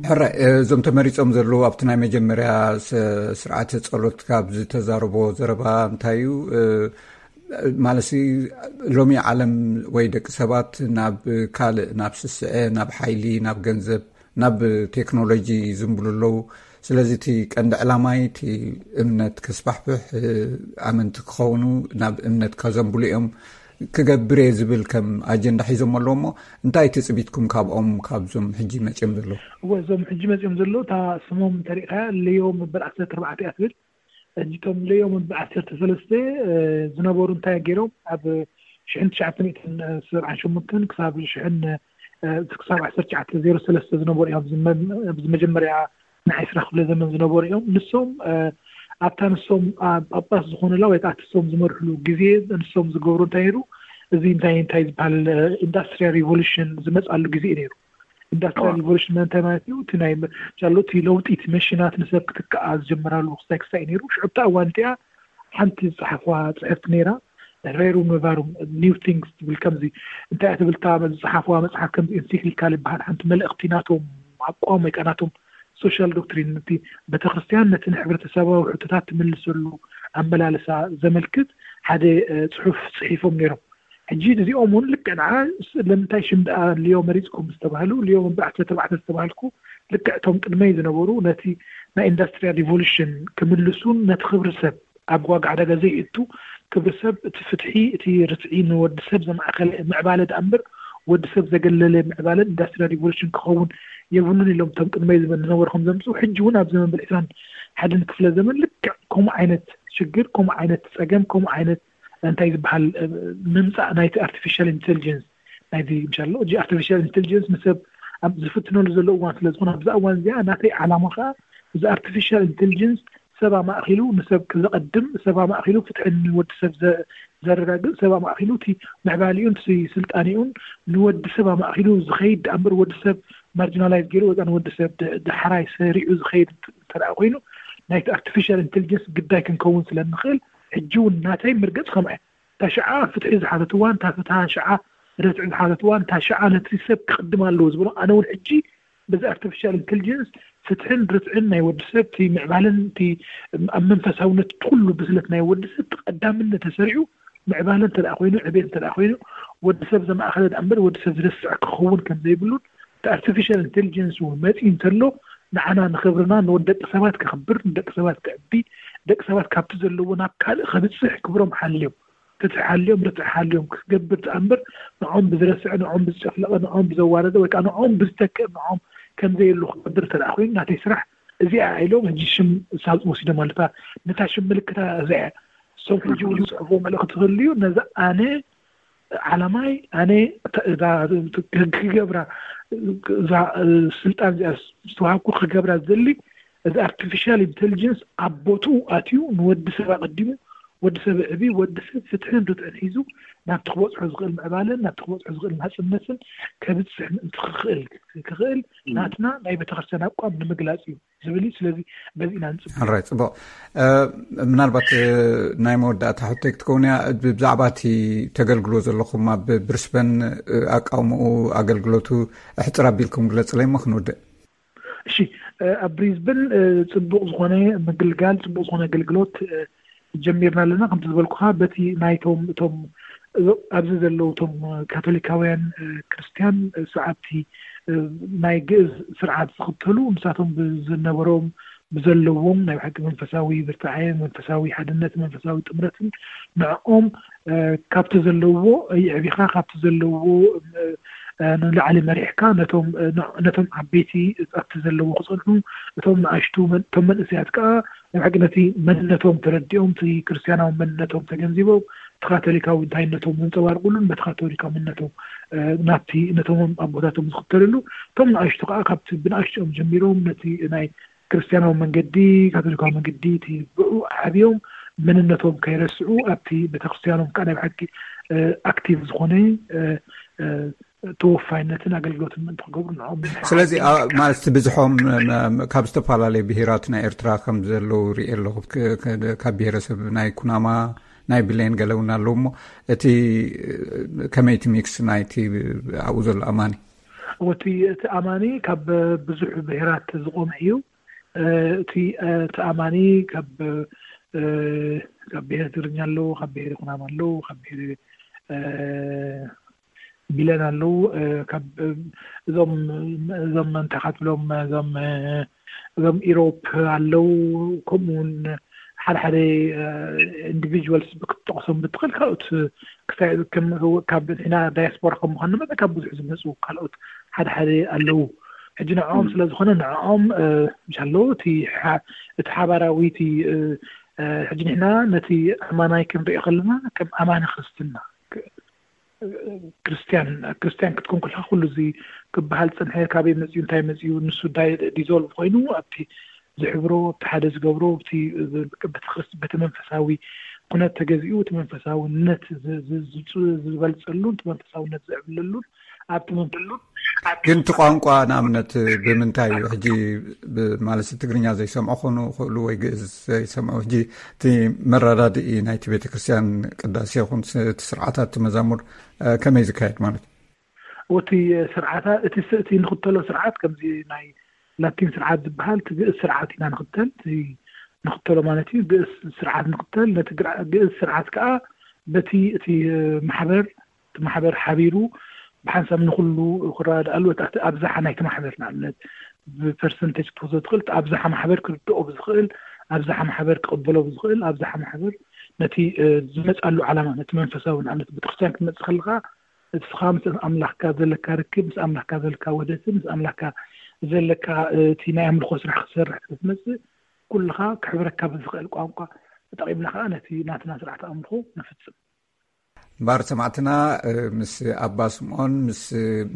ሕራይ፣ እዞም ተመሪጾም ዘለዉ ኣብቲ ናይ መጀመርያ ስ- ስርዓተ ጸሎት ካብ ዝተዛረቦ ዘረባ እንታይ እዩ? እ፣ ማለትሲ ሎሚ ዓለም ወይ ደቂ ሰባት ናብ ካልእ፣ ናብ ስስዐ፣ ናብ ሓይሊ፣ ናብ ገንዘብ፣ ናብ ቴክኖሎጂ ዝንብሉ ኣለዉ። ስለዚ እቲ ቀንዲ ዕላማይ እቲ እምነት ከስፋሕፍሕ፣ እ፣ ኣመንቲ ክኸውኑ ናብ እምነት ከዘንብሉ እዮም ክገብር እየ ዝብል ከም ኣጀንዳ ሒዞም ኣለዉ። እሞ እንታይ ትጽቢትኩም ካብኦም፣ ካብዞም ሕጂ መጺኦም ዘለዉ? እወ፣ እዞም ሕጂ መጺኦም ዘለዉ፣ እታ ስሞም እንተሪእኻያ፣ ሌዮ መበል ዓሰርተ ኣርባዕተ እያ ትብል። ሕጂ እቶም ሌዮ መበል ዓሰርተ ሰለስተ፣ እ፣ ዝነበሩ እንታይ ገይሮም? ኣብ ሽሕን ትሽዓተ ሚእትን ሰብዓን ሸሞንተን ክሳብ ሽሕን፣ እ፣ ክሳብ ዓሰርተ ትሽዓተ ዜሮ ሰለስተ ዝነበሩ እዮም። ኣብዚ መ-፣ ኣብዚ መጀመርያ ናይ ዕስራ ክፍለ ዘመን ዝነበሩ እዮም። ንሶም፣ እ፣ ኣብታ ንሶም ኣብ ጳጳስ ዝኾኑላ ወይ ከዓ ንሶም ዝመርሕሉ ግዜ ንሶም ዝገብሩ እንታይ ነይሩ? እዚ እንታይ እንታይ ዝበሃል፣ እ፣ ኢንዳስትሪያል ሪቮሉሽን ዝመፅኣሉ ግዜ እዩ ነይሩ። ኢንዳስትሪያል ሪቮሉሽን ማለት እንታይ ማለት እዩ? እቲ ናይ መ-፣ ቻሎ፣ እቲ ለውጢ፣ እቲ መሽናት ንሰብ ክትከኣ ዝጀመራሉ ክስታይ ክስታይ እዩ ነይሩ። ሽዑ ኣብታ እዋን እቲኣ ሓንቲ ዝፀሓፍዋ ፅሕፍቲ ነይራ፣ ሬሩም ነቫሩም፣ ኒው ቲንግስ ትብል። ከምዚ እንታይ እያ ትብል እታ ዝፀሓፍዋ መፅሓፍ? ከምዚ ኤንሲክሊካል ይበሃል። ሓንቲ መልእኽቲ ናቶም፣ ኣቋም ወይ ከዓ ናቶም ሶሻል ዶክትሪን፣ ነቲ ቤተክርስትያን ነቲ ንሕብረተሰባዊ ሕቶታት ትምልሰሉ ኣመላልሳ ዘመልክት ሓደ፣ እ፣ ፅሑፍ ፅሒፎም ነይሮም። ሕጂ እዚኦም እውን ልክዕ ንዓ ስ-፣ ለምንታይ ሽም ደኣ ሊዮ መሪፅኩም ዝተባህሉ፣ ሊዮ መበል ዓሰርተ ኣርባዕተ ዝተባህልኩ፣ ልክዕ እቶም ቅድመይ ዝነበሩ ነቲ ናይ ኢንዳስትሪያል ሪቮሉሽን ክምልሱን ነቲ ክብሪ ሰብ ኣብ ዋጋ ዕዳጋ ዘይእቱ፣ ክብሪ ሰብ፣ እቲ ፍትሒ፣ እቲ ርትዒ፣ ንወዲ ሰብ ዘማእኸለ ምዕባለ ደኣ እምበር ወዲ ሰብ ዘገለለ ምዕባለን ኢንዳስትሪያል ሪቮሉሽን ክኸውን የብሉን ኢሎም እቶም ቅድመይ ዝነበሩ ከም ዘምፅኡ፣ ሕጂ እውን ኣብ ዘመን በል ዕስራን ሓደን ክፍለ ዘመን ልክዕ ከምኡ ዓይነት ሽግር፣ ከምኡ ዓይነት ፀገም፣ ከምኡ ዓይነት እንታይ ዝበሃል፣ እ፣ ምምፃእ ናይቲ ኣርቲፊሻል ኢንቴሊጀንስ፣ ናይዚ ምሻሎ፣ እዚ ኣርቲፊሻል ኢንቴሊጀንስ ንሰብ ኣብ ዝፍትነሉ ዘሎ እዋን ስለ ዝኾነ፣ ኣብዛ እዋን እዚኣ ናተይ ዓላማ ከዓ እዚ ኣርቲፊሻል ኢንቴሊጀንስ ሰብ ኣማእኪሉ ንሰብ ዘቐድም፣ ሰብ ኣማእኪሉ ፍትሒ ንወዲ ሰብ ዘ-፣ ዘረጋግጽ፣ ሰብ ኣማእኪሉ እቲ ምዕባሊኡን እቲ ስልጣኔኡን ንወዲ ሰብ ኣማእኪሉ ዝኸይድ ደኣ እምበር፣ ወዲ ሰብ ማርጂናላይዝ ገይሩ ወይ ከዓ ንወዲ ሰብ ድ-፣ ዳሕራይ ሰሪዑ ዝኸይድ እንተ ደኣ ኮይኑ፣ ናይቲ ኣርቲፊሻል ኢንቴሊጀንስ ግዳይ ክንከውን ስለ እንኽእል፣ ሕጂ እውን ናተይ ምርገጽ ከምኣ እያ። እታ ሽዓ ፍትሒ ዝሓተት እዋን፣ እታ፣ እታ ሽዓ ርትዒ ዝሓተት እዋን፣ እታ ሽዓ ነቲ ሰብ ክቕድም ኣለዎ ዝበሎ፣ ኣነ እውን ሕጂ በዚ ኣርቲፊሻል ኢንቴሊጀንስ ፍትሕን ርትዕን ናይ ወዲ ሰብ፣ እቲ ምዕባለን እቲ ኣብ መንፈሳውነት፣ እቲ ኩሉ ብስለት ናይ ወዲ ሰብ እቲ ቀዳምነት ተሰሪዑ፣ ምዕባለ እንተ ደኣ ኮይኑ፣ ዕቤት እንተ ደኣ ኮይኑ፣ ወዲ ሰብ ዘማእኸለ ደኣ እምበር ወዲ ሰብ ዝረስዕ ክኸውን ከም ዘይብሉን፣ እቲ ኣርቲፊሻል ኢንቴሊጀንስ እውን መፂኡ እንተሎ፣ ንዓና ንኽብርና፣ ንወዲ ደቂ ሰባት ከኽብር፣ ንደቂ ሰባት ከዕቢ፣ ደቂ ሰባት ካብቲ ዘለዎ ናብ ካልእ ከብፅሕ ክብሮም ሓልዮም፣ ፍትሒ ሓልዮም፣ ርትዒ ሓልዮም ክገብር ደኣ እምበር፣ ንዖም ብዝረስዐ፣ ንዖም ብዝጨፍለቐ፣ ንዖም ብዘዋረደ ወይ ከዓ ንዖም ብዝተክእ፣ ንዖም ከም ዘየሉ ክገብር እንተ ደኣ ኮይኑ፣ ናተይ ስራሕ እዚኣ ኢሎም ሕጂ ሽም ሳልጥ ወሲዶም ኣለታ። ነታ ሽም ምልክታ እዚኣ እያ። እሶም ሕጂ እውን ዝፅሕፍዎ መልእኽቲ ክህልዩ፣ ነዛ ኣነ ዓላማይ፣ ኣነ እዛ ክገብራ፣ እዛ ስልጣን እዚኣ ዝተዋሃብኩ ክገብራ ዝደሊ፣ እዚ ኣርቲፊሻል ኢንቴሊጀንስ ኣብ ቦትኡ ኣትዩ ንወዲ ሰብ ኣቐዲሙ፣ ወዲ ሰብ ዕቢ፣ ወዲ ሰብ ፍትሕን ርትዕን ሒዙ ናብቲ ክበፅሖ ዝኽእል ምዕባለን ናብቲ ክበፅሖ ዝኽእል ናፅነትን ከብፅሕ ምእንቲ ክኽእል፣ ክኽእል ናትና ናይ ቤተክርስትያን ኣቋም ንምግላፅ እዩ ዝብል እዩ። ስለዚ በዚ ኢና ንፅበ። ሕራይ፣ ፅቡቕ። እ፣ ምናልባት፣ እ፣ ናይ መወዳእታ ሕቶይ ክትከውን እያ። ብ-፣ ብዛዕባ እቲ ተገልግሎ ዘለኹም ኣብ ብሪስበን፣ እ፣ ኣቃውምኡ፣ ኣገልግሎቱ ኣሕፅር ኣቢልኩም ግለፅለይ እሞ ክንውድእ። እሺ፣ እ፣ ኣብ ብሪዝበን፣ እ፣ ፅቡቕ ዝኾነ ምግልጋል፣ ፅቡቕ ዝኾነ ኣገልግሎት፣ እ፣ ጀሚርና ኣለና። ከምቲ ዝበልኩኻ፣ በቲ ናይቶም፣ እቶም ኣብዚ ዘለዉ እቶም ካቶሊካውያን፣ እ፣ ክርስትያን፣ እ፣ ሰዓብቲ፣ እ፣ ናይ ግእዝ ስርዓት ዝኽተሉ፣ ንሳቶም ብዝነበሮም ብዘለዎም ናይ ብሓቂ መንፈሳዊ ብርታዐ፣ መንፈሳዊ ሓድነት፣ መንፈሳዊ ጥምረትን ንዕኦም ካብቲ ዘለዎ ይዕቢኻ፣ ካብቲ ዘለዎ ንላዕሊ መሪሕካ ነቶም ዓበይቲ ኣብቲ ዘለዎ ክፀንሑ፣ እቶም ንኣሽቱ እቶም መንእሰያት ከዓ ናይ ብሓቂ ነቲ መንነቶም ተረዲኦም፣ እቲ ክርስትያናዊ መንነቶም ተገንዚቦም፣ እቲ ካቶሊካዊ እንታይነቶም ዘንፀባርቁሉን በቲ ካቶሊካዊ መንነቶም ናብቲ ነቶም ኣቦታቶም ዝኽተልሉ፣ እቶም ንኣሽቱ ከዓ ካብቲ ብንኣሽትኦም ጀሚሮም ነቲ ናይ ክርስትያናዊ መንገዲ፣ ካቶሊካዊ መንገዲ እቲ ብኡ ዓብዮም መንነቶም ከይረስዑ ኣብቲ ቤተክርስትያኖም ከዓ ናይ ብሓቂ ኣክቲቭ ዝኾነ ተወፋይነትን ኣገልግሎትን ምእንቲ ክገብሩ ንዕኦም። ስለዚ ማለት እቲ ብዝሖም ካብ ዝተፈላለዩ ብሄራት ናይ ኤርትራ ከም ዘለዉ ርኢ ኣለኹ። ካብ ብሄረሰብ ናይ ኩናማ፣ ናይ ብሌን ገለ እውን ኣለዉ እሞ እቲ ከመይቲ ሚክስ ናይቲ ኣብኡ ዘሎ ኣማኒ? እቲ እቲ ኣማኒ ካብ ብዙሕ ብሄራት ዝቆመ እዩ። እቲ እቲ ኣማኒ ካብ ካብ ብሄር ትግርኛ ኣለዉ፣ ካብ ብሄር ኩናማ ኣለዉ፣ ካብ ብሄር ቢለን ኣለዉ። ካብ እዞም እዞም እንታይ ካትብሎም እዞም እዞም ኢሮፕ ኣለዉ። ከምኡ እውን ሓደ ሓደ ኢንዲቪጁዋልስ ክትጠቕሶም ብትኽእል፣ ካልኦት ክሳይ ካብ ንሕና ዳያስፖራ ከም ምዃንና መጠን ካብ ብዙሕ ዝመፁ ካልኦት ሓደ ሓደ ኣለዉ። ሕጂ ንዕኦም ስለ ዝኾነ ንዕኦም ምሻ ኣለዉ እቲ ሓባራዊ እቲ ሕጂ ንሕና ነቲ ኣማናይ ክንሪኦ ከለና ከም ኣማኒ ክርስትና ክርስትያን ክርስትያን ክትኮን ከለካ ኩሉ እዚ ክበሃል ዝፀንሐ ካበይ መፅዩ እንታይ መፅዩ ንሱ ዲዞልቭ ኮይኑ ኣብቲ ዝሕብሮ ኣብቲ ሓደ ዝገብሮ በቲ መንፈሳዊ ኩነት ተገዚኡ እቲ መንፈሳዊነት ዝበልፀሉን እቲ መንፈሳዊነት ዝዕብለሉን ኣብቲ መንፈሉን ግን እቲ ቋንቋ ንኣብነት ብምንታይ እዩ ሕጂ ማለት ትግርኛ ዘይሰምዑ ክኾኑ ይኽእሉ ወይ ግእዝ ዘይሰምዑ ሕጂ እቲ መረዳድኢ ናይቲ ቤተክርስትያን ቅዳሴ ይኹን እቲ ስርዓታት መዛሙር ከመይ ዝካየድ ማለት ወቲ ስርዓታ እቲ እቲ ንክተሎ ስርዓት ከምዚ ናይ ላቲን ስርዓት ዝበሃል እቲ ግእዝ ስርዓት ኢና ንክተል ንክተሎ ማለት እዩ። ግእዝ ስርዓት ንክተል ነቲ ግእዝ ስርዓት ከዓ በቲ እቲ ማሕበር እቲ ማሕበር ሓቢሩ ብሓንሳብ ንኩሉ ክረዳድኣሉ ኣብዝሓ ናይቲ ማሕበር ንኣብነት ብፐርሰንቴጅ ክትወስዶ ትኽእል ኣብዝሓ ማሕበር ክርድኦ ብዝኽእል ኣብዝሓ ማሕበር ክቕበሎ ብዝኽእል ኣብዝሓ ማሕበር ነቲ ዝመፅኣሉ ዓላማ ነቲ መንፈሳዊ ንኣብነት ቤተክርስትያን ክትመፅእ ከለካ እስኻ ምስ ኣምላኽካ ዘለካ ርክብ ምስ ኣምላኽካ ዘለካ ውህደትን ምስ ኣምላኽካ ዘለካ እቲ ናይ ኣምልኾ ስራሕ ክትሰርሕ ክትመፅእ ኩልኻ ክሕብረካ ብዝኽእል ቋንቋ ተጠቒምና ከዓ ነቲ ናትና ስርዓት ኣምልኾ ንፍፅም። እምበኣር ሰማዕትና ምስ ኣባ ስምዖን ምስ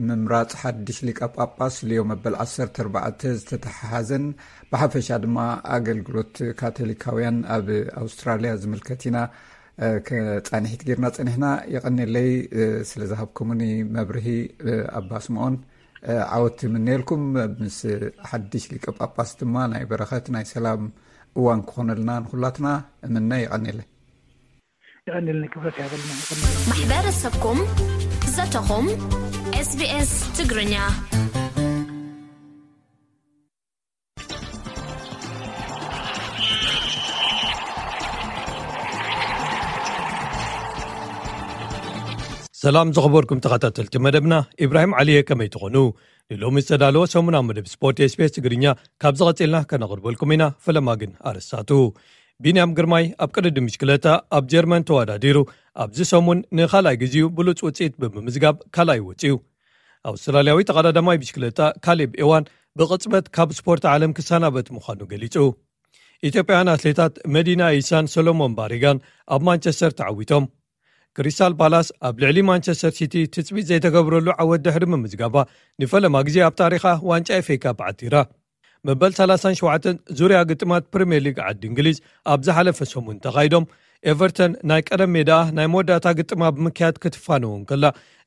ምምራፅ ሓድሽ ሊቀ ጳጳስ ልዮ መበል ዓሰርተ ኣርባዕተ ዝተተሓሓዘን ብሓፈሻ ድማ ኣገልግሎት ካቶሊካውያን ኣብ ኣውስትራልያ ዝምልከት ኢና ክፃንሒት ጌርና ፀኒሕና። የቐንየለይ ስለ ዝሃብኩምኒ መብርሂ ኣባ ስምዖን። ዓወት ይምነየልኩም። ምስ ሓድሽ ሊቀ ጳጳስ ድማ ናይ በረኸት ናይ ሰላም እዋን ክኾነልና ንኹላትና እምነ። የቐንየለይ። የቐንየለይ ክብረት ያበልና። ማሕበረሰብኩም ዘተኹም ኤስቢኤስ ትግርኛ። ሰላም ዝኸበርኩም ተኸታተልቲ መደብና፣ ኢብራሂም ዓሊየ ከመይ ትኾኑ? ንሎሚ ዝተዳለወ ሰሙናዊ መደብ ስፖርት ኤስቢኤስ ትግርኛ ካብ ዝቐጺልና ከነቕርበልኩም ኢና። ፈለማ ግን ኣረሳቱ። ቢንያም ግርማይ ኣብ ቅድድም ብሽክለታ ኣብ ጀርመን ተወዳዲሩ ኣብዚ ሰሙን ንኻልኣይ ግዜኡ ብሉጽ ውጽኢት ብምምዝጋብ ካልኣይ ወጺኡ። ኣውስትራልያዊ ተቐዳዳማይ ብሽክለታ ካሌብ ኤዋን ብቕጽበት ካብ ስፖርት ዓለም ክሰናበት ምዃኑ ገሊጹ። ኢትዮጵያውያን ኣትሌታት መዲና ኢሳን ሰሎሞን ባሪጋን ኣብ ማንቸስተር ተዓዊቶም። ክሪስታል ፓላስ ኣብ ልዕሊ ማንቸስተር ሲቲ ትጽቢት ዘይተገብረሉ ዓወት ድሕሪ ምምዝጋባ ንፈለማ ግዜ ኣብ ታሪኻ ዋንጫ ኤፍኤ ካፕ ዓቲራ። መበል ሰላሳን ሸውዓተን ዙርያ ግጥማት ፕሪምየር ሊግ ዓዲ እንግሊዝ ኣብ ዝሓለፈ ሰሙን ተኻይዶም ኤቨርተን ናይ ቀደም ሜዳኣ ናይ መወዳእታ ግጥማ ብምክያድ ክትፋነዎ እንከላ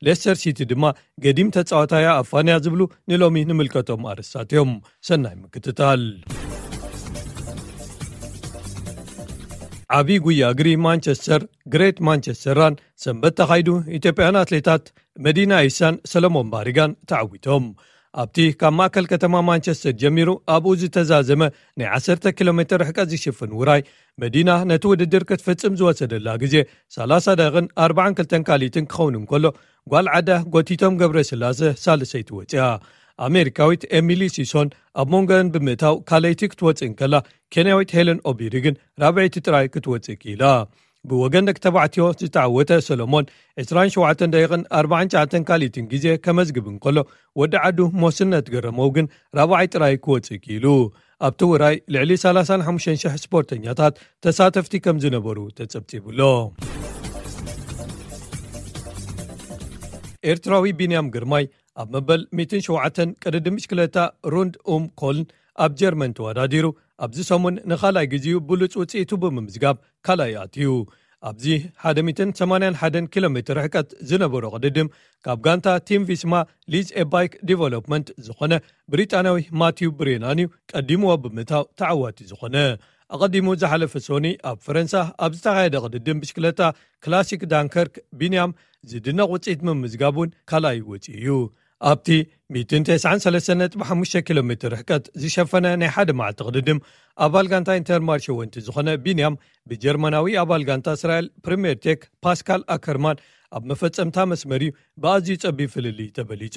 ሌስተር ሲቲ ድማ ገዲም ተጻዋታያ ኣፋንያ ዝብሉ ንሎሚ ንምልከቶም ኣርእስታት እዮም። ሰናይ ምክትታል። ዓብዪ ጉያ እግሪ ማንቸስተር ግሬት ማንቸስተር ራን ሰንበት ተኻይዱ ኢትዮጵያውያን ኣትሌታት መዲና ኢሳን ሰለሞን ባሪጋን ተዓዊቶም። ኣብቲ ካብ ማእከል ከተማ ማንቸስተር ጀሚሩ ኣብኡ ዝተዛዘመ ናይ ዓሰርተ ኪሎ ሜትር ርሕቀት ዝሽፍን ውራይ መዲና ነቲ ውድድር ክትፍጽም ዝወሰደላ ግዜ ሰላሳ ደቂቕን ኣርባዓን ክልተን ካልኢትን ክኸውን እንከሎ ጓል ዓዳ ጎቲቶም ገብረስላሰ ሳልሰይቲ ወፂኣ። ኣሜሪካዊት ኤሚሊ ሲሶን ኣብ መንጎን ብምእታው ካልኣይቲ ክትወፅእ እንከላ፣ ኬንያዊት ሄለን ኦቢሪ ግን ራብዐይቲ ጥራይ ክትወፅእ ክኢላ። ብወገን ደቂ ተባዕትዮ ዝተዓወተ ሰሎሞን ዕስራን ሸውዓተን ደቂቕን ኣርባዓን ትሽዓተን ካልኢትን ግዜ ከመዝግብ እንከሎ፣ ወዲ ዓዱ ሞስነት ገረመው ግን ራብዓይ ጥራይ ክወፅእ ክኢሉ። ኣብቲ ውራይ ልዕሊ ሰላሳን ሓሙሽተን ሽሕ ስፖርተኛታት ተሳተፍቲ ከም ዝነበሩ ተጸብጺቡሎ። ኤርትራዊ ቢንያም ግርማይ ኣብ መበል ሚእትን ሸውዓተን ቅድድም ብሽክለታ ሩንድ ኡም ኮልን ኣብ ጀርመን ተወዳዲሩ፣ ኣብዚ ሰሙን ንኻልኣይ ግዜኡ ብሉጽ ውጽኢቱ ብምምዝጋብ ካልኣይ ኣትዩ። ኣብዚ ሓደ ሚእትን ሰማንያን ሓደን ኪሎ ሜትር ርሕቀት ዝነበሮ ቅድድም፣ ካብ ጋንታ ቲም ቪስማ ሊዝ ኤባይክ ዲቨሎፕመንት ዝኾነ ብሪጣንያዊ ማቲው ብሬናን እዩ ቀዲምዎ ብምእታው ተዓዋቲ ዝኾነ። ኣቐዲሙ ዝሓለፈ ሶኒ ኣብ ፈረንሳ ኣብ ዝተኻየደ ቅድድም ብሽክለታ ክላሲክ ዳንከርክ ቢንያም ዝድነቕ ውጽኢት ምምዝጋብ እውን ካልኣይ ወጺኡ እዩ። ኣብቲ ሚእትን ተስዓን ሰለስተን ነጥቢ ሓሙሽተ ኪሎ ሜትር ርሕቀት ዝሸፈነ ናይ ሓደ መዓልቲ ቅድድም፣ ኣባል ጋንታ ኢንተርማርሸ ወንቲ ዝኾነ ቢንያም ብጀርመናዊ ኣባል ጋንታ እስራኤል ፕሪምየር ቴክ ፓስካል ኣከርማን ኣብ መፈጸምታ መስመር እዩ ብኣዝዩ ጸቢብ ፍልልይ ተበሊጹ።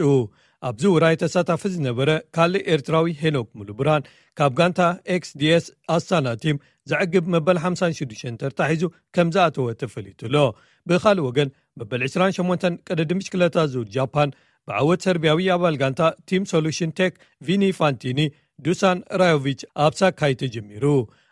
ኣብዚ ውራይ ተሳታፊ ዝነበረ ካልእ ኤርትራዊ ሄኖክ ሙሉብርሃን ካብ ጋንታ ኤክስዲኤስ ኣስታና ቲም ዘዕግብ መበል ሓምሳን ሽዱሽተን ተርታ ሒዙ ከም ዝኣተወ ተፈሊጡ ኣሎ። ብኻልእ ወገን፣ መበል ዕስራን ሸሞንተን ቅድድም ብሽክለታ ዙር ጃፓን ብዓወት ሰርቢያዊ ኣባል ጋንታ ቲም ሶሉሽን ቴክ ቪኒ ፋንቲኒ ዱሳን ራዮቪች ኣብ ሳካይ ተጀሚሩ።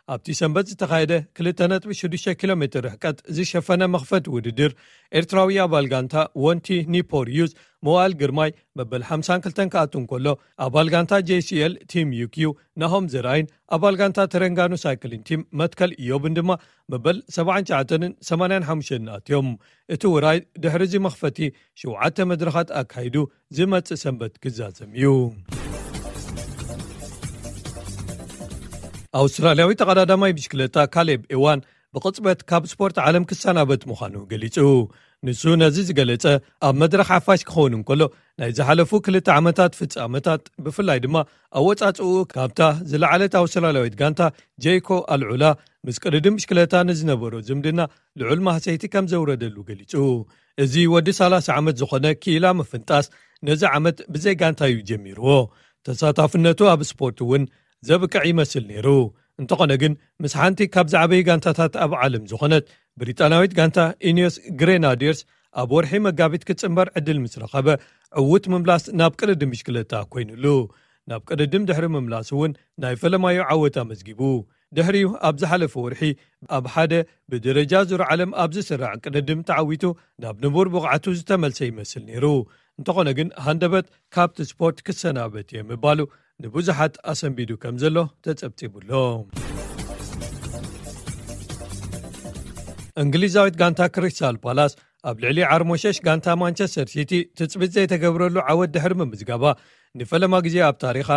ኣብቲ ሰንበት ዝተኻየደ ክልተ ነጥቢ ሽዱሽተ ኪሎ ሜትር ርሕቀት ዝሸፈነ መኽፈቲ ውድድር፣ ኤርትራዊ ኣባል ጋንታ ወንቲ ኒፖር ዩዝ መዋእል ግርማይ መበል ሓምሳን ክልተን ክኣቱ እንከሎ፣ ኣባል ጋንታ ጄሲኤል ቲም ዩኪዩ ናሆም ዘርኣይን ኣባል ጋንታ ተረንጋኑ ሳይክሊን ቲም መትከል ኢዮብን ድማ መበል ሰብዓን ትሽዓተንን ሰማንያን ሓሙሽተን ኣትዮም። እቲ ውራይ ድሕሪ እዚ መኽፈቲ ሸውዓተ መድረኻት ኣካይዱ ዝመጽእ ሰንበት ክዛዘም እዩ። ኣውስትራልያዊ ተቐዳዳማይ ብሽክለታ ካሌብ ኤዋን ብቕጽበት ካብ ስፖርት ዓለም ክሰናበት ምዃኑ ገሊጹ። ንሱ ነዚ ዝገለጸ ኣብ መድረኽ ሓፋሽ ክኸውን እንከሎ፣ ናይ ዝሓለፉ ክልተ ዓመታት ፍጻመታት፣ ብፍላይ ድማ ኣወጻጽኡ ካብታ ዝለዓለት ኣውስትራልያዊት ጋንታ ጄይኮ ኣልዑላ ምስ ቅድድም ብሽክለታ ንዝነበሮ ዝምድና ልዑል ማህሰይቲ ከም ዘውረደሉ ገሊጹ። እዚ ወዲ ሰላሳ ዓመት ዝኾነ ክኢላ ምፍንጣስ ነዚ ዓመት ብዘይ ጋንታ እዩ ጀሚርዎ። ተሳታፍነቱ ኣብ ስፖርት እውን ዘብቅዕ ይመስል ነይሩ። እንተኾነ ግን፣ ምስ ሓንቲ ካብ ዝዓበዩ ጋንታታት ኣብ ዓለም ዝኾነት ብሪጣናዊት ጋንታ ኢኒዮስ ግሬናዲርስ ኣብ ወርሒ መጋቢት ክጽንበር ዕድል ምስ ረኸበ፣ ዕዉት ምምላስ ናብ ቅድድም ብሽክለታ ኮይኑሉ። ናብ ቅድድም ድሕሪ ምምላስ እውን ናይ ፈለማዩ ዓወት ኣመዝጊቡ። ድሕሪኡ ኣብ ዝሓለፈ ወርሒ ኣብ ሓደ ብደረጃ ዙር ዓለም ኣብ ዝስራዕ ቅድድም ተዓዊቱ ናብ ንቡር ብቕዓቱ ዝተመልሰ ይመስል ነይሩ። እንተኾነ ግን፣ ሃንደበት ካብቲ ስፖርት ክሰናበት እየ ምባሉ ንብዙሓት ኣሰንቢዱ ከም ዘሎ ተጸብጺቡሎ። እንግሊዛዊት ጋንታ ክሪስታል ፓላስ ኣብ ልዕሊ ዓርሞሸሽ ጋንታ ማንቸስተር ሲቲ ትጽቢት ዘይተገብረሉ ዓወት ድሕሪ ምምዝጋባ፣ ንፈለማ ግዜ ኣብ ታሪኻ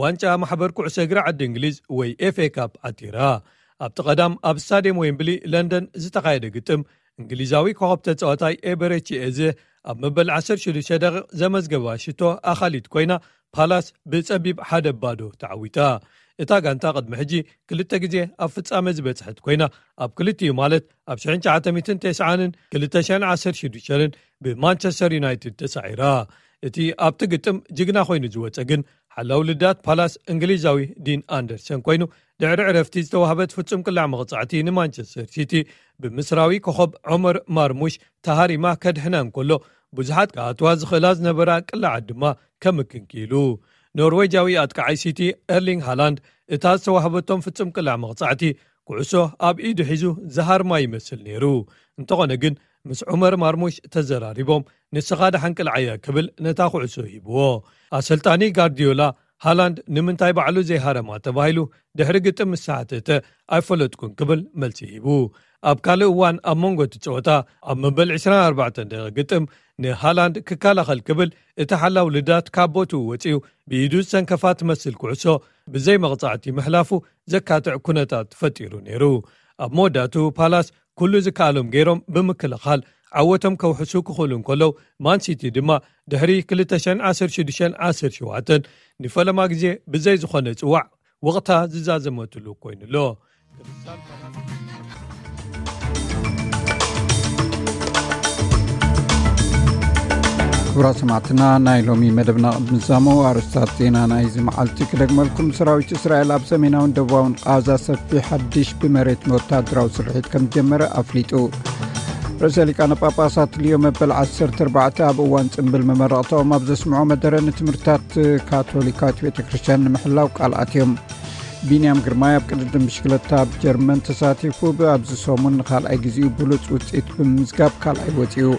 ዋንጫ ማሕበር ኩዕሶ እግሪ ዓዲ እንግሊዝ ወይ ኤፍ ኤ ካፕ ዓቲራ። ኣብቲ ቀዳም ኣብ ስታድየም ዌምብሊ ለንደን ዝተኻየደ ግጥም፣ እንግሊዛዊ ኮኸብ ተጻዋታይ ኤበረቺ ኤዘ ኣብ መበል ዓሰርተ ሽዱሽተ ደቂቕ ዘመዝገባ ሽቶ ኣኻሊት ኮይና፣ ፓላስ ብጸቢብ ሓደ ባዶ ተዓዊታ። እታ ጋንታ ቅድሚ ሕጂ ክልተ ግዜ ኣብ ፍጻመ ዝበጽሐት ኮይና፣ ኣብ ክልቲኡ ማለት ኣብ ሽሕን ትሽዓተ ሚእትን ተስዓን ክልተ ሽሕን ዓሰርተ ሽዱሽተን ብማንቸስተር ዩናይትድ ተሳዒራ። እቲ ኣብቲ ግጥም ጅግና ኮይኑ ዝወጸ ግን ሓላው ልዳት ፓላስ እንግሊዛዊ ዲን ኣንደርሰን ኮይኑ፣ ድሕሪ ዕረፍቲ ዝተዋህበት ፍጹም ቅላዕ መቕጻዕቲ ንማንቸስተር ሲቲ ብምስራዊ ኮኸብ ዖመር ማርሙሽ ተሃሪማ ከድሕና እንከሎ፣ ብዙሓት ክኣትዋ ዝኽእላ ዝነበራ ቅላዓት ድማ ከምክን ክኢሉ። ኖርዌጃዊ ኣጥቃዓይ ሲቲ ኤርሊንግ ሃላንድ እታ ዝተዋህበቶም ፍጹም ቅላዕ መቕጻዕቲ ኩዕሶ ኣብ ኢዱ ሒዙ ዝሃርማ ይመስል ነይሩ። እንተኾነ ግን፣ ምስ ዑመር ማርሙሽ ተዘራሪቦም፣ "ንስኻ ደሓን ቅልዓያ" ክብል ነታ ኩዕሶ ሂብዎ። ኣሰልጣኒ ጋርዲዮላ፣ ሃላንድ ንምንታይ ባዕሉ ዘይሃረማ ተባሂሉ ድሕሪ ግጥም ምስ ተሓተተ፣ "ኣይፈለጥኩን" ክብል መልሲ ሂቡ። ኣብ ካልእ እዋን ኣብ መንጎ እቲ ጸወታ፣ ኣብ መበል ዕስራን ኣርባዕተን ደቂቕ ግጥም ንሃላንድ ክከላኸል ክብል፣ እቲ ሓላው ልዳት ካብ ቦትኡ ወጺኡ ብኢዱ ዝሰንከፋ ትመስል ኩዕሶ ብዘይ መቕጻዕቲ ምሕላፉ ዘካትዕ ኩነታት ፈጢሩ ነይሩ። ኣብ መወዳእቱ ፓላስ ኩሉ ዝከኣሎም ገይሮም ብምክልኻል ዓወቶም ከውሕሱ ክኽእሉ እንከለዉ፣ ማንሲቲ ድማ ድሕሪ ክልተ ሽሕን ዓሰርተ ሽዱሽተን ዓሰርተ ሸውዓተን ንፈለማ ግዜ ብዘይ ዝኾነ ጽዋዕ ወቕታ ዝዛዘመትሉ ኮይኑ ኣሎ። ክቡራት ሰማዕትና፣ ናይ ሎሚ መደብና ቅድሚ ምዛሙ ኣርእስታት ዜና ናይዚ መዓልቲ ክደግመልኩም። ሰራዊት እስራኤል ኣብ ሰሜናውን ደቡባውን ቃዛ ሰፊሕ ሓድሽ ብመሬት ወታደራዊ ስርሒት ከም ዝጀመረ ኣፍሊጡ። ርእሰ ሊቃነ ጳጳሳት ሊዮ መበል ዓሰርተ ኣርባዕተ ኣብ እዋን ጽምብል መመረቕታኦም ኣብ ዘስምዖ መደረ፣ ንትምህርታት ካቶሊካዊት ቤተ ክርስቲያን ንምሕላው ቃል ኣትዮም። ቢንያም ግርማይ ኣብ ቅድድም ብሽክለታ ኣብ ጀርመን ተሳቲፉ፣ ኣብዚ ሰሙን ንኻልኣይ ግዜኡ ብሉጽ ውጽኢት ብምምዝጋብ ካልኣይ ወጺኡ።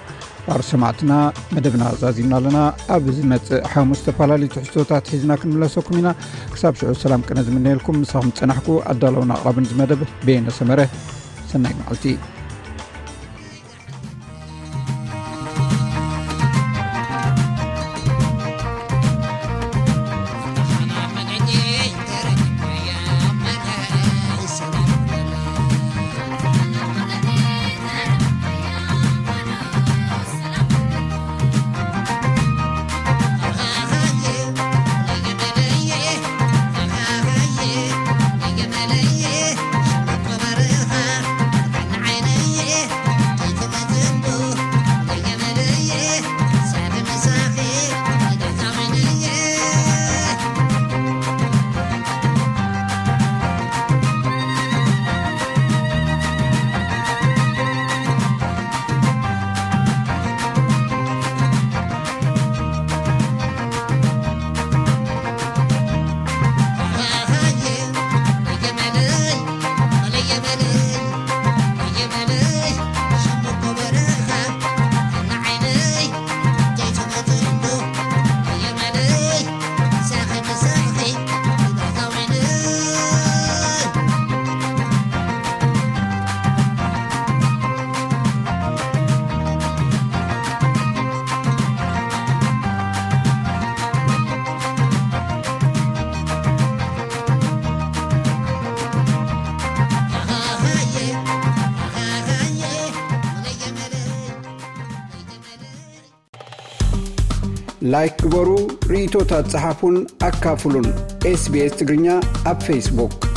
ባር ሰማዕትና፣ መደብና ዛዚምና ኣለና። ኣብ ዝመጽእ ሓሙስ ዝተፈላለዩ ትሕዝቶታት ሒዝና ክንምለሰኩም ኢና። ክሳብ ሽዑ ሰላም ቅነ ዝምነየልኩም፣ ምሳኹም ዝጸናሕኩ ኣዳለውን ኣቕራብን እዚ መደብ በየነ ሰመረ። ሰናይ መዓልቲ። ላይክ ግበሩ፣ ርእይቶታት ጸሓፉን ኣካፍሉን። SBS ትግርኛ ኣብ ፌስቡክ።